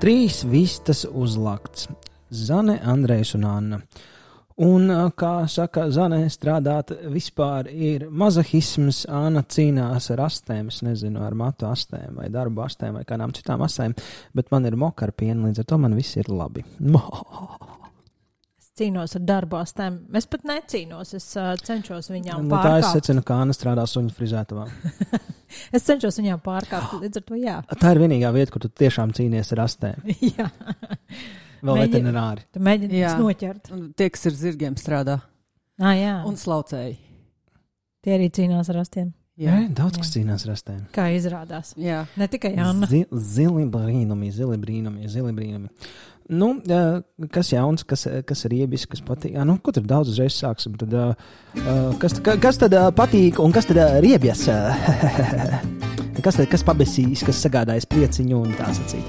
3 vistas uzlakts. Zane, Andrejs un Anna. Un, kā saka Zane, strādāt vispār ir mazahisms. Anna cīnās ar astēm, es nezinu, ar matu astēm vai darbu astēm vai kādām citām astēm, bet man ir moka ar pienu, līdz ar to man viss ir labi. Es cīnos ar darbu astēm. Es pat necīnos, es cenšos viņām pārkāpt. Tā es secinu, ka Anna strādā suņu frizētavā. Es cenšos viņām pārkāpt, līdz ar to jā. Tā ir vienīgā vieta, kur tu tiešām cīnies ar astēm. Jā. Vēl veterinārī. Tu mēģini noķert. Tie, kas ir zirgiem strādā. Jā. Un slaucēji. Tie arī cīnās ar astiem. Jā, daudz kas cīnās ar astēm. Kā izrādās. Jā. Ne tikai Anna. Zili brīnumi. Nu, kas jauns, kas ir iebis, kas patīk. Nu, ko tur daudz uzreiz sāksim. Tad, kas tad patīk un kas tad riebjas? Kas pabesīs, kas sagādājas prieciņu un tā sacīt.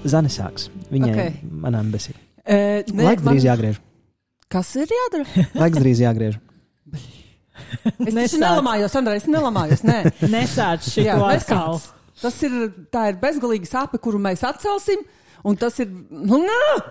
Zane sāks. Viņai manām besī. Laiks drīz jāgriež. Kas ir jādara? Laiks drīz jāgriež. Es taču nelamājos, Andrej, nē. Nesāc šito atkal. Tā ir bezgalīga sāpe, kuru mēs atcelsim. Un tas ir,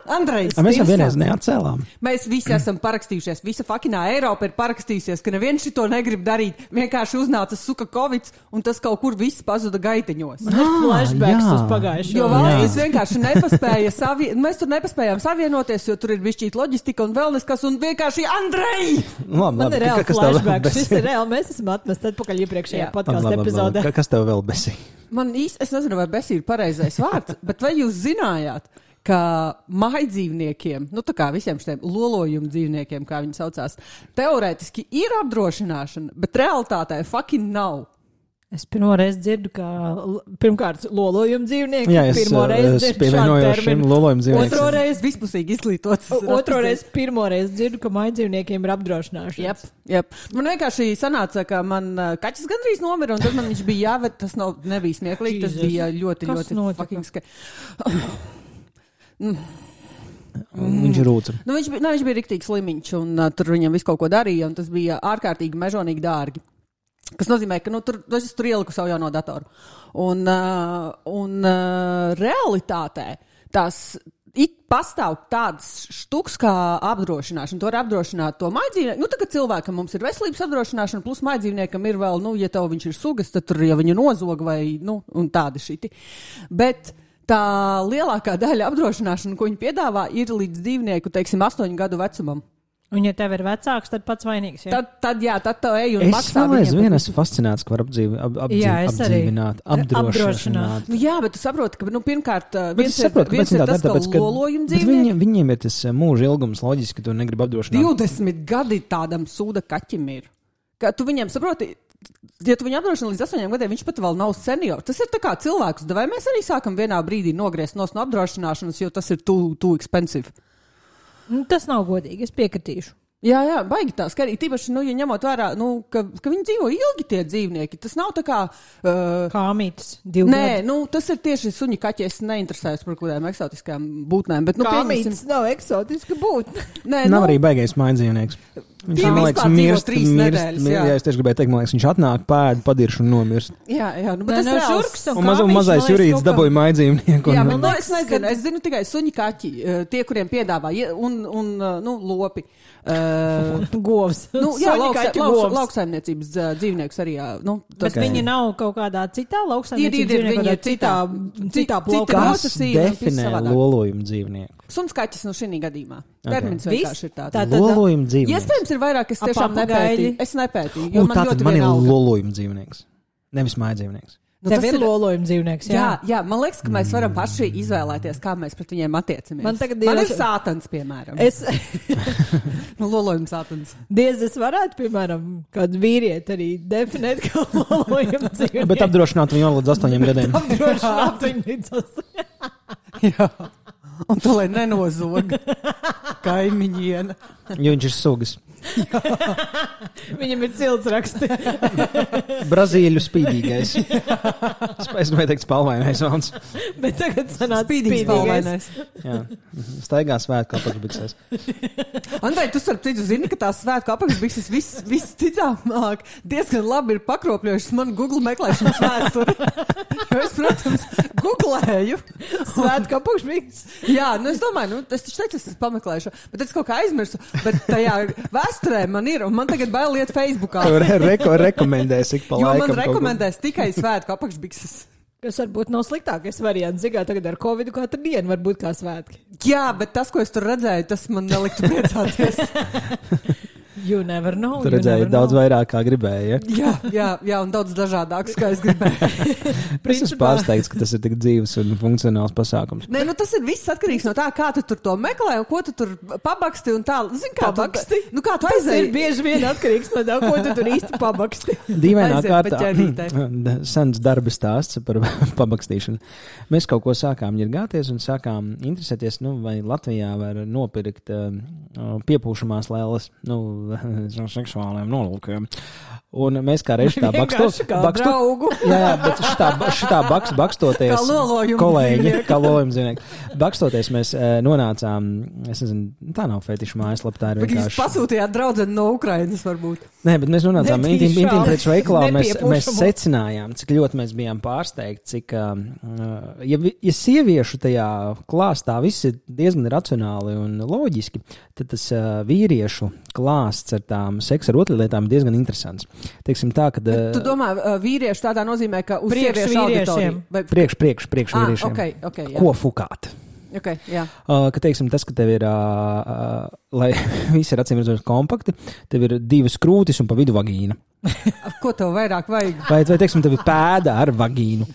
Andrejs. Mēs jau vienreiz neatcēlām. Mēs visi esam parakstījušies. Visa fakinā Eiropa ir parakstījusies, ka neviens šito negrib darīt. Vienkārši uznāca suka Covid, un tas kaut kur viss pazuda gaiteņos. Man ir flashbacks uz pagājušo. Jo valstis vienkārši nepaspēja mēs tur nepaspējām savienoties, jo tur ir bišķīt loģistika un vēl neskas, un vienkārši Andrej! Man ir reāli flashbacks. Šis ir reāli. Mēs esam atmest atpakaļ iepriekšējā podcastu epizodē. Kas tev vēl besī? Es nezinu, vai besī ir pareizais vārds, bet vai jūs zinājāt, ka mājdzīvniekiem, tā kā visiem šiem lolojumu dzīvniekiem, kā viņi saucās, teorētiski ir apdrošināšana, bet realitātē fucking nav. Es pirmoreiz dzirdu, ka pirmkārt lolojumu dzīvnieki. Jā, es pievienojos šim lolojumu dzīvniekiem. Otroreiz vispusīgi izglītots. Otroreiz pirmoreiz dzirdu, ka mājdzīvniekiem ir apdrošināšana. Jep. Man vienkārši sanāca, ka man kaķis gandrīz nomira, un tad man viņš bija jāved, tas nebija smieklīgi, tas bija ļoti fucking Viņš rūca. Viņš bija riktīgi slimiņš, un tur viņam visu kaut ko darīja, un tas bija ārkārtīgi mežonīgi dārgi. Kas nozīmē, ka es tur ieliku savu jauno datoru. Un realitātē tās pastāv tādas štuks kā apdrošināšana. To var apdrošināt to mājdzīvnieku. Tagad cilvēkam mums ir veselības apdrošināšana, plus mājdzīvniekam ir vēl, ja tev viņš ir sugas, tad tur, ja viņu nozog vai, un tādi šiti. Bet tā lielākā daļa apdrošināšana, ko viņi piedāvā, ir līdz dzīvnieku, 8 gadu vecumam. Un, ja tev ir vecāks, tad pats vainīgs. Ja? Tad tev ej un maksā viņiem. Es vēl esmu fascinēts, ka var apdzīvināt, apdrošināt. Jā, bet tu saproti, ka, pirmkārt, viens ir tas, ka lolojuma dzīvnieki. Viņiem ir tas mūža ilgums loģiski, ka tu negribi apdrošināt. 20 gadi tādam sūda kaķim ir. Ka tu viņiem saproti, ja tu viņu apdrošina līdz 8 gadiem, viņš pat vēl nav seniors. Tas ir tā kā cilvēks, vai mēs arī sākam vienā brīdī nogriezt no apdrošināšanas, jo tas ir too expensive. Tas nav godīgi, es piekritīšu. Jā, baigi tā skarīgi. Tīpaši, ja ņemot vērā, ka viņi dzīvo ilgi tie dzīvnieki. Tas nav tā kā... Kāmītis, 2 gadi. Nē, tas ir tieši suņi kaķi. Es neinteresējos par kādām eksotiskām būtnēm. Bet, Kāmītis nav eksotiska būtne. Nav arī baigais mājdzīvnieks. Viņš man liekas mirst. Jā, es tieši gribēju teikt, man liekas, viņš atnāk, pēd, padirš un nomirst. Jā, bet tas žurks un kāmiņš. Un mazais jurīts dabūja mājdzīvnieku. Jā, man liekas, es nezinu. Es zinu tikai suņi kaķi, tie, kuriem piedāvā, un lopi. Govs. Lauksaimniecības dzīvnieks arī. Bet viņi nav kaut kādā citā lauksaimniecības dzīvnieku, citā plaukā. Kas definē lolojumu dzīvnieku? Suns kaķis šī gadījumā. Termins vienkārši ir tāds. Lolojumu dzīvnieks. Iespējams ir vairāk, es tiešām nepētīju. Es nepētīju, jo man ļoti man ir vienalga. lolojumu dzīvnieks. Nevis mājdzīvnieks. Tev ir lolojuma dzīvnieks, jā, man liekas, ka mēs varam paši izvēlēties, kā mēs pret viņiem attiecamies. Man ir sātans, piemēram. Lolojuma sātans. Diez es varētu, piemēram, kādu vīrieti arī definēt kā lolojuma dzīvnieku. Bet apdrošināt viņu līdz 8 gadiem. Apdrošināt viņu līdz 8. Jā. Un to, lai nenozog kaimiņiena. Jo viņš ir sugas. Viņam ir ciltsraksti. Brazīļu spīdīgais. Es gribēju teikt spalvainais vans. Bet tagad sanāca spīdīgais. Jā, staigā svētku apakšbiksēs. Andrej, tu starp citu zini, ka tās svētku apakšbikses visticamāk diezgan labi ir pakropļojušas man Google meklēšanas vēsturi. Jo es, protams, Googlēju. Svētku apakšbiks. Jā, nu es domāju, es taču teicu, es pameklēšu, bet es kaut kā aizmirsu, bet tajā vēsturē man ir, un man tagad bail iet Facebookā. Rekomendēs ik pa jo laikam. Jo man rekomendēs tikai svētku apakšbikses. Kas varbūt nav sliktākais variants. Zigā tagad ar Covid katru dienu var būt kā svētki. Jā, bet tas, ko es tur redzēju, tas man neliktu priecāties. You never know. Tu redzēji daudz vairāk, kā gribēji, ja? Jā, un daudz dažādāks, kā es gribēju. Es esmu pārsteigts, ka tas ir tik dzīves un funkcionāls pasākums. Nē, nu tas ir viss atkarīgs no tā, kā tu tur to meklē un ko tu tur pabaksti un tā. Zini, kā pabaksti? Kā tu Tas aizēji? ir bieži vien atkarīgs no tā, ko tu tur īsti pabaksti. Dīvainā Aiziet pa ķerītei. kārtā sens darba stāsts par pabakstīšanu. Mēs kaut ko sākām ņirgāties un sākām interesēties, vai Latvijā var nopirkt piepūšamās lēles, seksuāliem nolūkiem. Un mēs kā reiz tā bakstoties, kā lolojumu kolēģi, kā lolojumu zīmnieki, bakstoties mēs nonācām, es nezinu, tā nav fetiša mājaslapa, tā ir vienkārši. Jūs pasūtījāt draudzeni no Ukrainas varbūt. Nē, bet mēs nonācām intīmpreču veikalā un mēs Nepiepušamo. secinājām, cik ļoti mēs bijām pārsteigti, cik, ja sieviešu tajā klāstā viss ir diezgan racionāli un loģiski, tad tas vīriešu klāsts ar tām seksa ar otrlietām ir diezgan interesants. Teiksim tā, ka... Tu domā vīriešu tādā nozīmē, ka uz sieviešu auditoriju? Priekš vīriešiem. Okay, Ko fukāt? Okay, jā. Ka teiksim tas, ka tev ir, lai visi ir acīm redzot kompakti, tev ir 2 krūtis un pa vidu vagīna. Ko tev vairāk vajag? Vai teiksim, tev ir pēda ar vagīnu.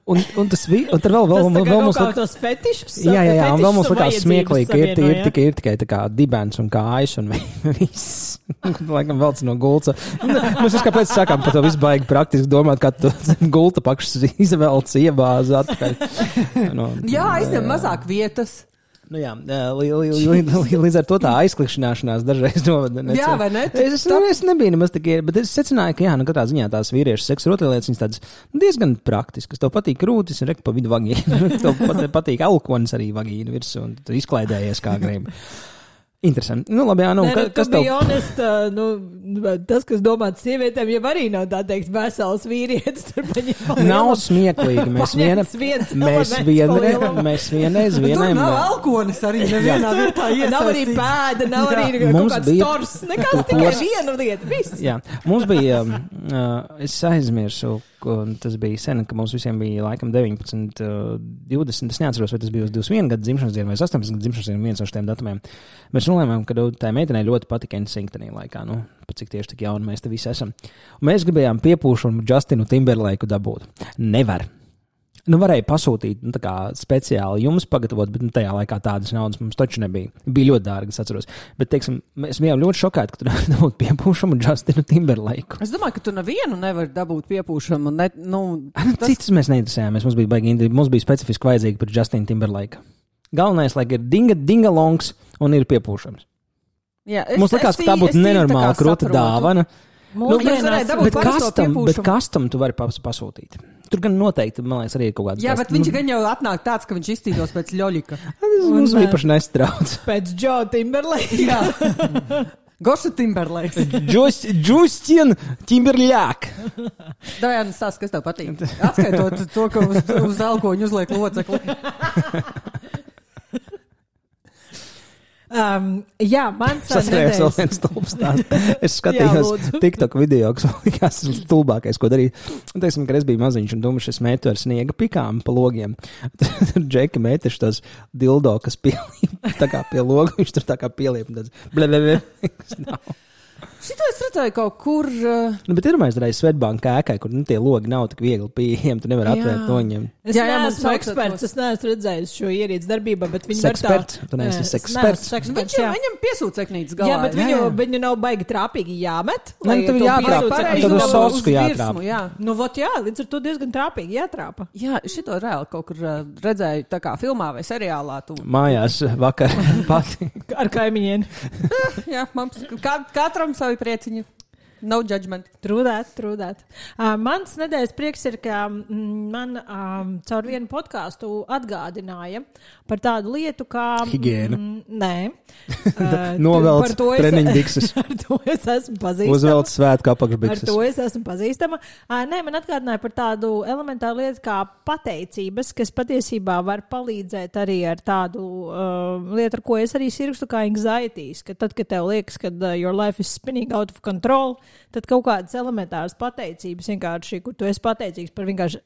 Un tas un tad vēl mums kā tos fetišus. Jā, un vēl mums likās smieklīgi, ka ir tikai tā kā dibens un kājas un viss. Laikam velc no gulta. Mēs kāpēc sākām par to visu baigi praktiski domāt, kā tu gulta pakšas izvelc, iebāz atpakaļ. Jā, aizņem mazāk vietas. Jā, līdz ar to tā aizklikšanāšanās dažreiz novada. Jā, vai ne? Es nebiju nemaz tik, bet es secināju, ka jā, katrā ziņā tās vīriešu seksa rotaļlietas, viņas tādas diezgan praktiskas. Tev patīk krūtis un rek pa vidu vagīnu. Tev patīk alkonis arī vagīnu virsū un tu izklaidējies kā gribi. Interesanti. Labi, jā, kas tev? Honest, tas, kas domāts sievietēm, jau arī nav tā teikt vesels vīrietis. Nav smieklīgi. Mēs vienreiz Tur nav alkonis arī nevienā vietā iesaistīts. Nav arī pēda, nav arī kaut kāds tors. Nekas tikai viena lieta. Viss. Jā, mums bija, es aizmirsu, un tas bija sen, ka mums visiem bija laikam 19, 20, es neatceros, vai tas bija uz 21 gadu dzimšanas dienu vai 18 gadu dzimšanas dienu, viens no šiem datumiem. Mēs runājām, ka tā meitenei ļoti patika NSYNC tajā laikā, pat cik tieši tik jauni mēs te visi esam. Un mēs gribējām piepūšanu Justinu Timberlaku dabūt. Nevar. Varēja pasūtīt, tā kā speciāli jums pagatavot, bet tajā laikā tādas naudas mums taču nebija. Bija ļoti dārgi, es atceros. Bet, teiksim, mēs bijām ļoti šokēti, ka tu dabūt piepūšamu Justinu Timberlaku. Es domāju, ka tu nevienu nevar dabūt piepūšamu. Citas mēs neinteresējāmies. Mums bija specifiski vajadzīgi par Justinu Timberlaku. Galvenais, lai ir dingalongs un ir piepūšams. Jā, mums likās, ka tā būtu nenormāla krūta dāvana. Bet kastam tu vari pasūtīt. Tur gan noteikti, man liekas, arī ir kaut kāds. Jā, bet viņš gan jau atnāk tāds, ka viņš iztīdos pēc ļoļika. Tas mums īpaši nestrauc. Pēc Joe Timberlake. Jā. Goša Timberlake. Justin Timberlake. Dajāna stāsts, kas tev patīk. Atskaitot to, ka uz alkoņu uzliek locekli. Jā, mans nedēļas. Vēl viens stulbs tāds. Es skatījos TikTok video, kas likās stulbākais, ko darīt. Un teiksim, ka es biju maziņš un domāju, es metu ar sniega pikām pa logiem. Tur Džeki meteši tos dildo, kas pielīp tā kā pie loga. Viņš tur tā kā pielīp un tāds blebebe. Šito es redzēju kaut kur... Bet ir mēs reiz Svetbanka ēkai, kur tie logi nav tik viegli pieejami, tu nevar atvērt no viņiem. Es neesmu eksperts, es neesmu redzējis šo ierīci darbībā, bet viņi var tā... Tu neesi eksperts. Viņam piesūceknītes galā. Jā, bet viņu nav baigi trāpīgi jāmet. Tev jātrāpa, tad uz sosku jātrāpa. Līdz ar to diezgan trāpīgi jātrāpa. Jā, šito reāli kaut kur redzēju tā kā filmā vai seriālā. Mājās vakar pati. Ar kaimiņiem. Jā, mums katram savi prieciņi. No judgment. Trūdēt. Mans nedēļas prieks ir, ka man caur vienu podkāstu atgādināja par tādu lietu kā... Higiēna. Nē. Novelc treniņbikses. Ar to es esmu pazīstama. Uzvelc svētku apakšbikses. Ar to es esmu pazīstama. Nē, man atgādināja par tādu elementāru lietu kā pateicības, kas patiesībā var palīdzēt arī ar tādu lietu, ar ko es arī sirkstu kā anxieties, ka tad, kad tev liekas, ka your life is spinning out of control, tad kaut kādas elementāras pateicības vienkārši, kur tu esi pateicīgs par vienkārši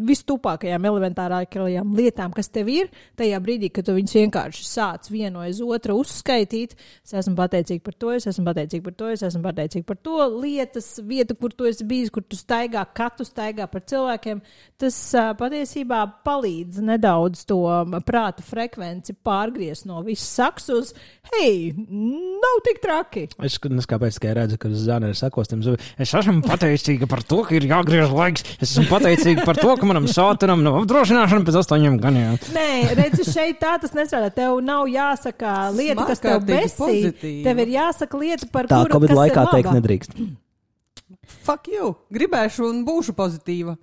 vistupākajām elementārākajām lietām, kas tev ir, tajā brīdī, kad tu viņus vienkārši sāc vienu aiz otru uzskaitīt. Es esmu pateicīgi par to, es esmu pateicīgi par to, es esmu pateicīgi par to. Lietas, vieta, kur tu esi bijis, kur tu staigā, kad tu staigā par cilvēkiem, tas patiesībā palīdz nedaudz to prāta frekvenci pārgriezt no viss saks uz, hei, nav tik traki. Es kāpēc tikai redzu, ka Zane ir sakostams. Es esmu pateicīga par to, ka ir jāgriež laiks. Es esmu pateicīga par to, ka manam sātunam nav apdrošināšana pēc 8 gadiem. Nē, redzi, šeit tā tas nestrādā. Tev nav jāsaka lieta, kas tev besī. Tev ir jāsaka lieta, par tā, kuru, kas laikā ir laba. Teikt nedrīkst. Fuck you. Gribēšu un būšu pozitīva.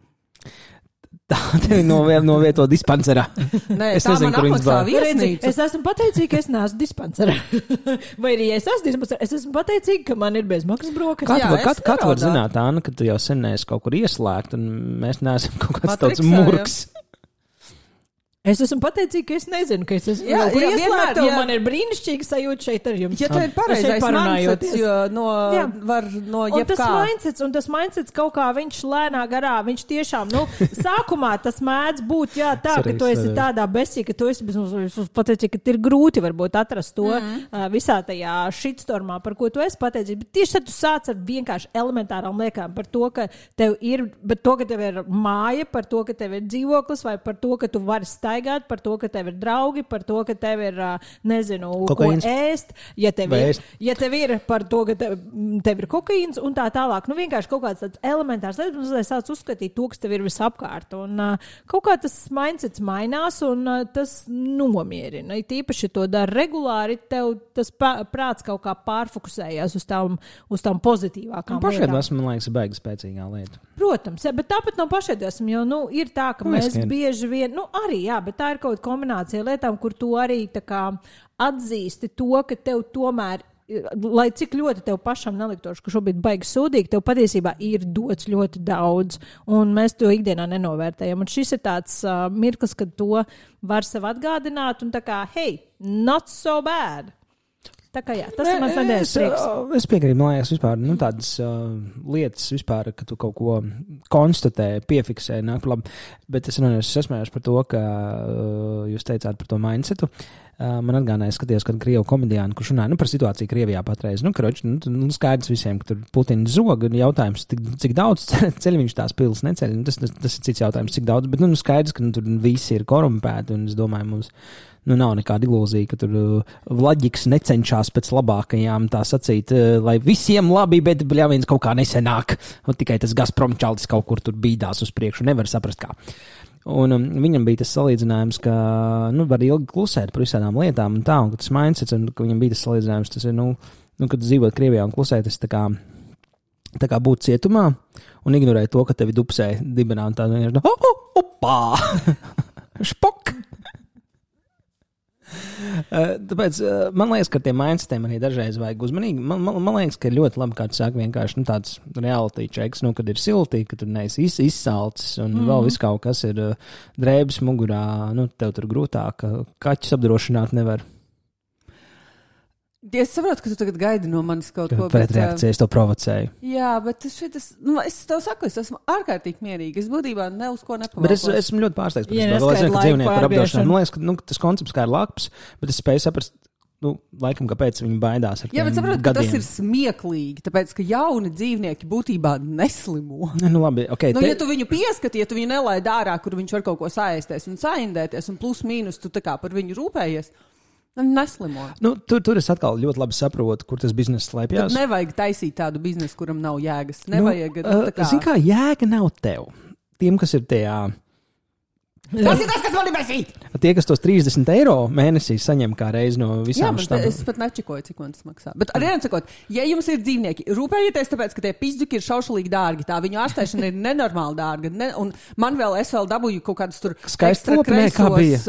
Tā tevi novieto dispanserā. Nē, es nezinu, kur viņas bār. Es esmu pateicīga, ka es neesmu dispanserā. Vai arī es esmu dispanserā, es esmu pateicīga, ka man ir bezmaksas brokas. Kā tu var zināt, Anna, ka tu jau sen neesi kaut kur ieslēgt un mēs neesam kaut kāds tāds murgs? Es esmu pateicīga, ka es nezinu, ka es esmu ieslēgta, un man ir brīnišķīga sajūta šeit ar jums. Ja tev ir pareizais mindsets, jo var no jebkā. Un tas mindsets kaut kā viņš lēnā garā, viņš tiešām, sākumā tas mēdz būt, tā, ka tu esi tādā besī, ka tu esi pateicīga, ka ir grūti varbūt atrast to visā tajā shitstormā, par ko tu esi pateicīga. Bet tieši tad tu sāc ar vienkārši elementārām liekām par to, ka tev ir, bet to, ka tev ir māja, par to, ka tev ir dzīvoklis, vai par to, ka tu vari staigāt, par to, ka tev ir draugi, par to, ka tev ir, nezinu, kokaīns. Ko ēst, ja tev ir par to, ka tev ir kokaīns un tā tālāk. Vienkārši kaut kāds tāds elementārs lietas, lai sāc uzskatīt to, kas tev ir visapkārt. Un kaut kā tas mindsets mainās un tas nomierina. Tīpaši to dara regulāri, tev tas prāts kaut kā pārfokusējās uz tām pozitīvākām lietām. Pašēdvesma, man liekas, baigi spēcīgā lieta. Protams, bet tāpat nav pašēdvesma, jo, ir tā, ka mēs bieži vien, arī, bet tā ir kaut kāda kombinācija lietām, kur tu arī tā kā atzīsti to, ka tev tomēr, lai cik ļoti tev pašam neliktos, ka šobrīd baigi sūdīgi, tev patiesībā ir dots ļoti daudz, un mēs to ikdienā nenovērtējam. Un šis ir tāds mirklis, kad to var sev atgādināt, un tā kā, hey, not so bad. Tā kā tas ir mans nedēļas prieks. Es piekrītu, man liekas, vispār, tādas lietas vispār, ka tu kaut ko konstatē, piefiksē, nāk labi. Bet es esmējos par to, ka jūs teicāt par to mindsetu. Man atgādināja, skatījos kādu krievu komediānu, kurš runāja par situāciju Krievijā patreiz. Skaidrs visiem, ka tur Putins zog, un jautājums, cik daudz ceļ viņš tās pilis neceļ. Tas ir cits jautājums, cik daudz, bet skaidrs, ka tur visi ir korumpēti, un es domāju, mums nav nekāda ilūzija, ka tur Vlaģiks necenšas pēc labākajām tā sacīt, lai visiem labi, bet bļāviens kaut kā nesenāk. Un tikai tas Gazprom čalis kaut kur tur bīdās uz priekšu, nevar saprast kā. Un viņam bija tas salīdzinājums, ka var ilgi klusēt par visādām lietām un tā, un ka tas mindsets, un ka viņam bija tas salīdzinājums, tas ir, kad dzīvot Krievijā un klusēt, tas tā kā būt cietumā un ignorēt to, ka tevi dupsē dibenā un tā vienkārši, opā, špok. Tāpēc man liekas, ka tiem mindsetiem arī dažreiz vajag uzmanīgi. Man liekas, ka ir ļoti labi, kā tu saki, vienkārši tāds reality checks, kad ir silti, ka tur neesi izsalcis un vēl viss kaut kas ir drēbes mugurā, tev tur grūtāk, kaķus apdrošināt nevar. Es saprotu, ka tu tagad gaidi no manis kaut ko. Pretreakcija, es to provocēju. Jā, bet es tev saku, es esmu ārkārtīgi mierīga. Es būtībā ne uz ko nepavalkos. Bet es esmu ļoti pārsteigts par to. Vēl es zinu, ka dzīvnieku par apdrošināšanu. Man liekas, ka tas koncepts kā ir laps, bet es spēju saprast, laikam, kāpēc viņi baidās ar tiem gadiem. Jā, bet saprotu, ka tas ir smieklīgi, tāpēc, ka jauni dzīvnieki būtībā neslimo. Labi, ok. Ja tu viņu pieskati, ja tu viņu nelaid ārā, kur viņš var kaut ko saēsties un saindēties, un plus mīnus tu tā kā par viņu rūpējies, neslimo. Tur es atkal ļoti labi saprotu, kur tas bizness slēpjas. Tad nevajag taisīt tādu biznesu, kuram nav jēgas. Nevajag, Zini kā, jēga nav tev. Tiem, kas ir tajā Tas ir tas, kas man ir besīt! Tie, kas tos 30 eiro mēnesī saņem kā reizi no visām štābām. Es pat nečikoju, cik man tas maksā. Bet arī sakot, ja jums ir dzīvnieki, rūpējieties tāpēc, ka tie pizdzuki ir šaušalīgi dārgi. Tā viņu ārstēšana ir nenormāli dārga. Un man vēl es vēl dabūju kaut kādus tur ekstra kreisos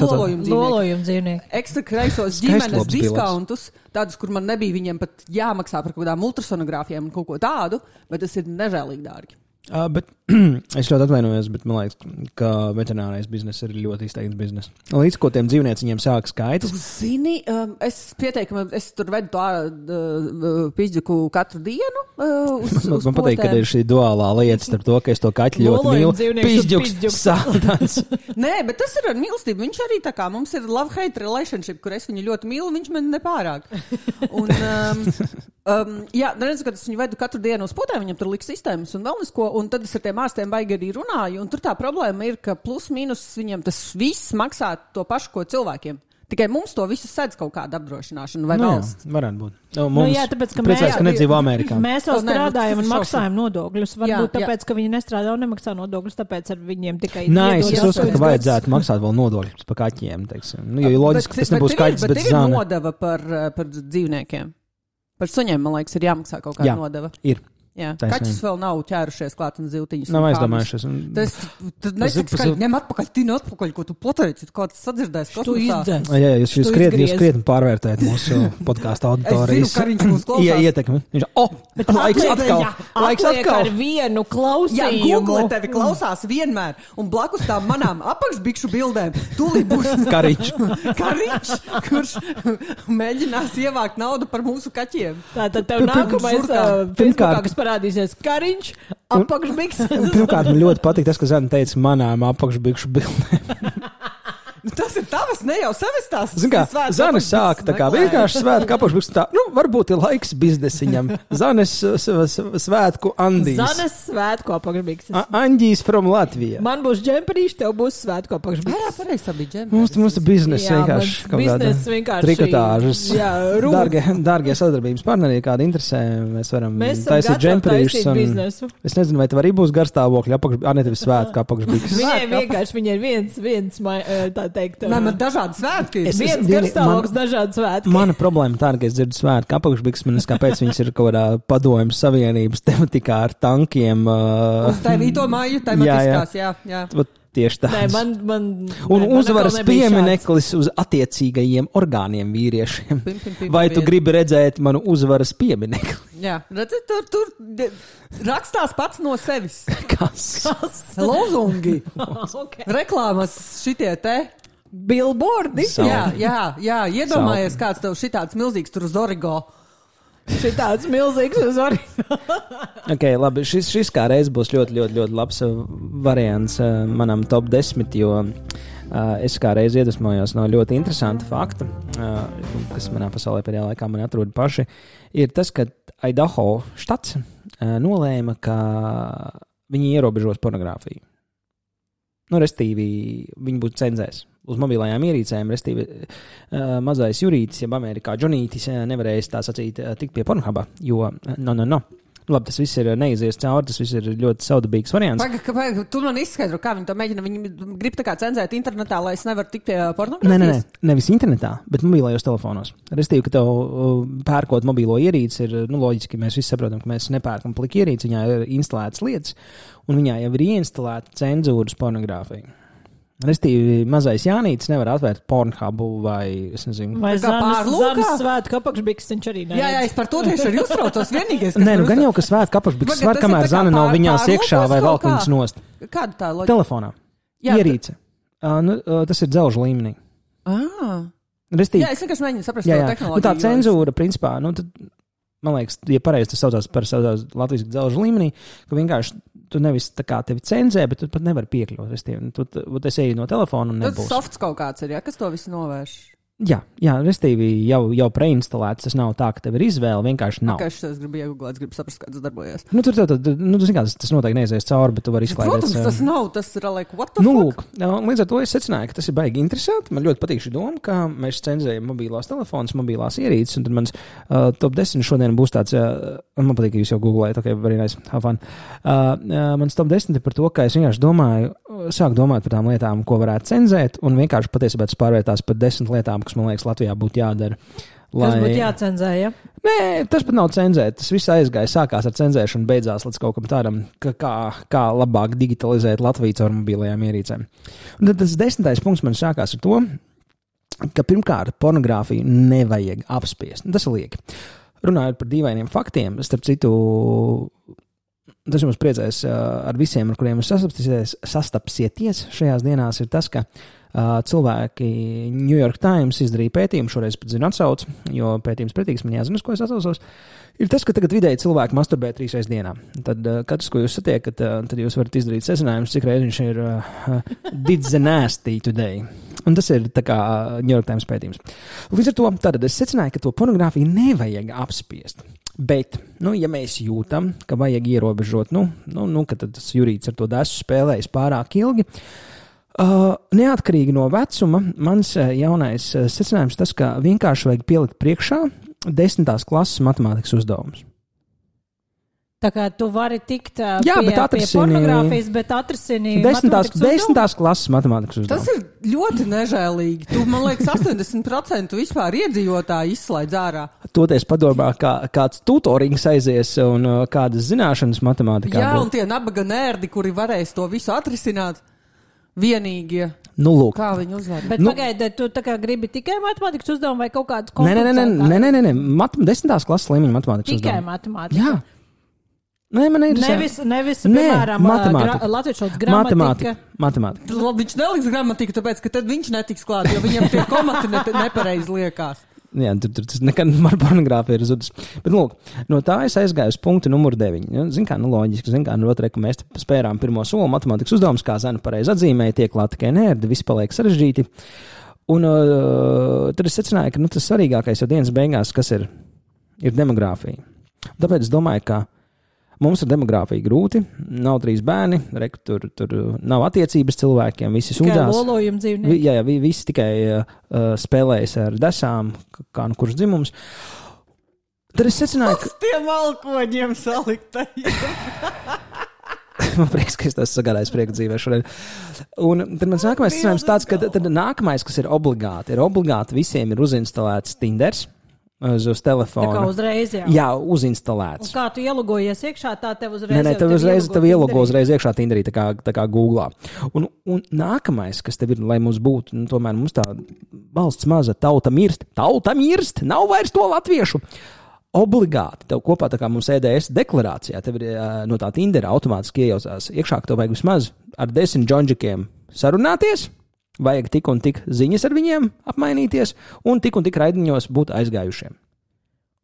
lolojumu dzīvnieki. Ekstra kreisos ģimenes diskontus, tādus, kur man nebija viņiem pat jāmaksā par kaut kādām ultrasonogrāfijām un kaut ko tādu, bet tas ir nežēlīgi dārgi. Bet es ļoti atvainojos, bet man liekas, ka veterinārais bizness ir ļoti izteikts bizness. Līdz ko tiem dzīvnieciņiem sāk skaitas. Zini, es pieteikumu, es tur vedu to pizdzuku katru dienu. Man patīk, ka ir šī duālā lieta starp to, ka es to kaķi ļoti mīlu. Pizdzuks sātans. Nē, bet tas ir ar mīlestību. Viņš arī tā kā mums ir love-hate relationship, kur es viņu ļoti mīlu, viņš man nepārāk. Un, jā, neredzu, kad es viņu vedu katru dienu uz potēm, viņam tur liks sistēmas un vēl nesko. Un tad es ar tiem ārstiem baigi arī runāju, un tur tā problēma ir, ka plus mīnus viņiem tas viss maksā to pašu, ko cilvēkiem. Tikai mums to visu sedz kaut kāda apdrošināšana vai valsts. Jā, varētu būt. Mums tāpēc, ka priecājas, ka nedzīvo Amerikā. Mēs vēl strādājam un maksājam nodokļus. Varbūt tāpēc, ka viņi nestrādā un nemaksā nodokļus, tāpēc ar viņiem tikai... Nē, es uzskatu, ka vajadzētu maksāt vēl nodokļus par kaķiem, teiksim. Jo loģiski, ka tas nebūs kaķis, bet zana. Bet ir nodeva par dzīvniekiem. Par suņiem, man liekas, ir jāmaksā kaut kāda nodeva. Ir. Jā, kaķis vēl nav ķērušies klāt un ziltiņas. Nav aizdomājušies. Tad netiks, ka ņem atpakaļ, ko tu pateici, ko tas sadzirdēs kosmosā. Jā, jūs krietni pārvērtējat mūsu podkāstu auditorijas. Es zinu, Kariņš mūs klausās. Ietekmi. Viņš laiks atkal. Ar vienu klausījumu. Jā, Google tevi klausās vienmēr. Un blakus tām manām apakšbikšu bildēm tūlīt būs Kariņš, kurš mēģinās ievākt naudu par mūsu kaķiem. Tātad tev nākamais Facebookā, kas parādīsies Kariņš, apakšbiks. Pirmkārt, man ļoti patīk tas, ka Zana teica manām apakšbikšu bildēm. Tas ir tavas, ne jau sevis tās. Zin kā, Zanes sāk tā kā vienkārši svētku apakšbiks tā, varbūt ir laiks biznesiņam. Zanes svētku Andīs. Zanes svētku apakšbiks. Andīs from Latvija. Man būs džemperīši, tev būs svētku apakšbiks. Jā, pareizi, bija džemperīši. Mums biznes vienkārši kaut kāda trikotāžas. Dārgie sadarbības partneri, kāda interesē, mēs varam taisīt džemperīšus. Es nezinu, vai tev arī būs garstāvokļi apakšbiks, ne tevi svētku apakšbiks. Viņai ir viens tā teikt. Nē, man dažādi svētki. Viens garstāvoklis, dažādi svētki. Mana problēma tā, ka es dzirdu svētku apakšbiks, man kāpēc viņas ir kaut kādā padomju savienības tematikā ar tankiem. Uz tā vīto māju tematiskās, jā. Tieši tāds. Un uzvaras piemineklis uz attiecīgajiem orgāniem vīriešiem. Vai tu gribi redzēt manu uzvaras pieminekli? Jā, redzi, tur rakstās pats no sevis. Kas? Lozungi. Reklāmas šitie te. Billboardi. Jā, iedomājies, kāds tev šitāds milzīgs tur uz Origo. Šitāds milzīgs uz Origo. Ok, labi, šis kā reiz būs ļoti labs variants manam top 10, jo es kā reiz iedvesmojos no ļoti interesanta fakta, kas manā pasaulē pēdējā laikā man atrod paši, ir tas, ka Idaho štats nolēma, ka viņi ierobežos pornogrāfiju. Restīvi, viņi būtu cenzēs uz mobilajām ierīcēm, restīvi mazais Jurītis, jeb Amerikā Džonītis nevarēs tā sacīt tikt pie Pornhuba, jo no. Labi, tas viss ir neizies cauri, tas viss ir ļoti saudabīgs variants. Pagaid, tu man izskaidro, kā viņi to mēģina. Viņi grib tā kā cenzēt internetā, lai es nevaru tikt pie pornogrāfijas? Nē, nevis internetā, bet mobilajos telefonos. Restīvi, ka tev pērkot mobilo ierīci ir, loģiski, mēs visi saprotam, ka mēs nepērkam plika ierīci, viņā ir instalētas lietas, un viņā jau ir ieinstalēta cenzūras pornogrāfija. Restīvi, mazais Jānītis nevar atvērt Pornhubu vai, es nezinu. Vai Zanes svētku apakšbiks, viņš arī neredz. Jā, es par to tieši arī uztraucos vienīgais. Nē, gan jau, ka svētku apakšbiks var, kamēr Zana nav viņās iekšā vai valk viņas nost. Kāda tā loģika? Telefonā. Ierīce. Tas ir dzelžu līmenī. Restīvi. Jā, es vienkārši mēģinu saprast to tehnoloģiju. Tā cenzūra, principā, tad, man liekas, ja pareizi tas saucās par latvijas dzelžu līmenī, ka vienkārši tu nevis tā kā tevi cenzē, bet tu pat nevari piekļūt. Es eju no telefona un nebūs. Tas softs kaut kāds ir, kas to visu novērš? Jā, restīvi jau preinstalēts, tas nav tā, ka tev ir izvēle, vienkārši nav. Es gribu iegooglēt, es gribu saprast, kā tas darbojas. Tas noteikti neizies cauri, bet tu vari izklaidēt. Protams, tas nav, tas ir like, what the fuck? Līdz ar to es secināju, ka tas ir baigi interesanti. Man ļoti patīk šī doma, ka mēs cenzējam mobilās telefonus, mobilās ierīces, un tad mans top 10 šodien būs tāds, man patīk, ka jūs jau googlējat, ok, very nice, have fun. Mans top 10 ir par to, ka es vienkārši domāju, sāku domāt par tām lietām, ko varētu cenzēt, un vienkārši patiesībā tas pārvērtās par 10 lietām, kas, man liekas, Latvijā būtu jādara. Kas būtu jācenzē, ja? Nē, tas pat nav cenzēt. Tas viss aizgāja, sākās ar cenzēšanu, beidzās līdz kaut kam tādam, kā labāk digitalizēt Latviju caur mobilajām ierīcēm. Un tad tas 10. punkts man sākās ar to, ka pirmkārt pornogrāfiju nevajag apspiest. Tas ir lieki. Runājot par dīvainiem faktiem, starp citu, tas jums priecēs ar visiem, ar kuriem sastapsieties šajās dienās, ir tas, ka cilvēki New York Times izdarīja pētījumu, šoreiz pat zinu atsaucu, jo pētījums pretīgs man jāzina, uz ko es atsaucos, ir tas, ka tagad vidēji cilvēki masturbē 3 reizes dienā. Tad katrs, ko jūs satiekat, tad jūs varat izdarīt secinājumus, cik reiz viņš ir did the nasty today. Un tas ir tā kā New York Times pētījums. Līdz ar to tad es secināju, ka to pornogrāfiju nevajag apspiest. Bet, ja mēs jūtam, ka vajag ierobežot, ka tad tas jurīts ar to desu spēlējas pārāk ilgi, neatkarīgi no vecuma, mans jaunais secinājums tas, ka vienkārši vajag pielikt priekšā 10. klases matemātikas uzdevumus. Tā kā tu vari tikt pie pornogrāfijas, bet atrisini 10. klases matemātikas uzdevumus. Tas ir ļoti nežēlīgi. Tu, man liekas, 80% vispār iedzīvotāji izslaidz ārā. Toties padomā, kāds tutorings aizies un kādas zināšanas matemātikā. Jā, un tie nabaga nērdi, kuri varēs to visu atrisināt. Vienīgie. Lūk. Kā viņi uzvar? Bet pagaidiet, tu tā kā gribi tikai matemātikas uzdevumu vai kaut kādu komplicētāku? Nē. 10. klases līmeņa matemātikas uzdevumu. Tikai matemātika? Jā. Nē, man ir... Nevis piemēram, latviešu gramatika. Matemātika. Viņš neliks gramatiku, tāpēc, ka tad viņš netiks klāt, jo viņam tie komati nepareizi liekās. Jā, tur tas nekad ar pornogrāfiju ir zudis. Bet, lūk, no tā es aizgāju uz punktu numuru 9. Loģiski, otrē, ka mēs spērām pirmo soli matemātikas uzdevums, kā Zana pareizi atzīmēja, tiek klāt tikai nērdi, viss paliek sarežģīti. Un tad es secināju, ka tas svarīgākais jau dienas beigās, kas ir demogrāfija. Tāpēc es domāju, ka mums ar demogrāfiju grūti, nav 3 bērni, tur nav attiecības cilvēkiem, visi sūdzās. Tikai lolojumi dzīvnieki. Jā, visi tikai spēlējas ar desām, kā kurš dzimums. Tad es secināju, ka... Tiem alkoņiem saliktajiem. Man prieks, ka es tas sagādāju prieku dzīvē šodien. Un tad mans nākamais secinājums tāds, ka tad nākamais, kas ir obligāti visiem ir uzinstalēts Tinders. Uz telefona. Tā kā uzreiz, jā. Jā, uzinstalēts. Un kā tu ielogojies iekšā, tā tev uzreiz... Nē, tev ielogo uzreiz iekšā Tinderī, tā kā Googlā. Un nākamais, kas tev ir, lai mums būtu, tomēr mums tā valsts maza tauta mirst, nav vairs to latviešu. Obligāti, tev kopā tā kā mums EDS deklarācijā, tev ir no tā Tindera automātiski iejaucās iekšā, ka tev vajag vismaz ar 10 džondžikiem sarunāties. Vajag tik un tik ziņas ar viņiem apmainīties un tik raidiņos būt aizgājušiem.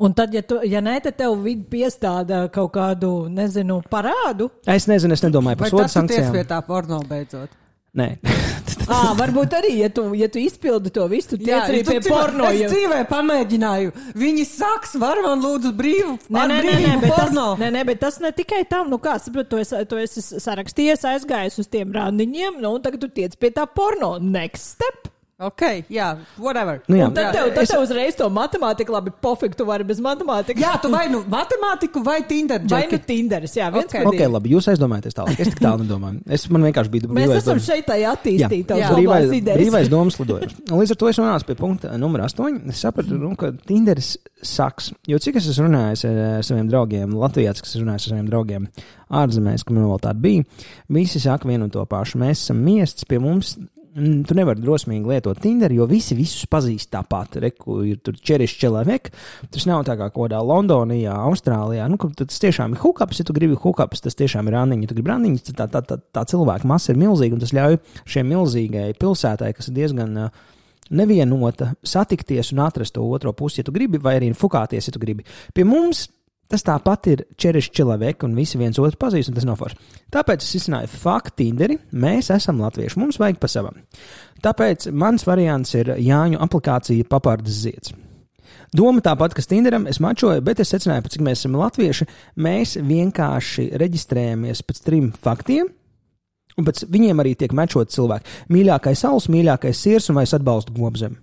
Un tad, ja nē, tad tev vidi piestāda kaut kādu, parādu? Es nezinu, es nedomāju par sodu sankcijām. Vai tas tu tiec pie tā porno beidzot? Nē. Varbūt arī, ja tu izpildi to visu, tu tiec arī pie porno. Es dzīvē pamēģināju. Viņi saks, var man lūdzu brīvu porno. Bet tas ne tikai tam, tu esi sarakstījies, aizgājis uz tiem randiņiem, un tagad tu tiec pie tā porno. Next step. Ok, jā, whatever. Un tad tev uzreiz to matemātiku, labi, pofik, tu vari bez matemātikas. Jā, tu vai matemātiku vai Tinder. Vai Tinderis, jā, viens Ok, labi, jūs aizdomājaties tālāk. Es tik tālu nedomāju. Man vienkārši bija Mēs esam šeit tā attīstīt tavas labās idejas. Brīvais domas lidojums. Līdz ar to es nonācu pie punkta numur 8. Es sapratu, ka Tinderis saks. Jo cik es esmu runājis ar saviem draugiem Latvijā, kas es runāju ar saviem draugiem ārzemēs, ka man vēl tāda bija, visi saka vienu un to pašu. Mēs esam miests pie mums. Tu nevari drosmīgi lietot Tinderu, jo visi visus pazīst tāpat. Reku ir tur čerišķi čelavek. Tas nav tā kā kodā Londonijā, Austrālijā. Tas tiešām ir hookups, ja tu gribi hookups, tas tiešām ir randiņi. Ja tu gribi randiņus, tā cilvēku masa ir milzīga, un tas ļauj šiem milzīgai pilsētai, kas ir diezgan nevienota, satikties un atrast to otro pusi, ja tu gribi, vai arī fukāties, ja tu gribi. Pie mums tas tāpat ir čerišķi čelavek, un visi viens otru pazīst, un tas nav forši. Tāpēc es izcināju faktu Tinderi, mēs esam latvieši, mums vajag pa savam. Tāpēc mans variants ir Jāņu aplikācija Papardas zieds. Doma tāpat, kas Tinderam, es mačoju, bet es secināju, cik mēs esam latvieši, mēs vienkārši reģistrējamies pēc 3 faktiem, un pēc viņiem arī tiek mačot cilvēki. Mīļākais saules, mīļākais sirs, un vai es atbalstu gobzemi.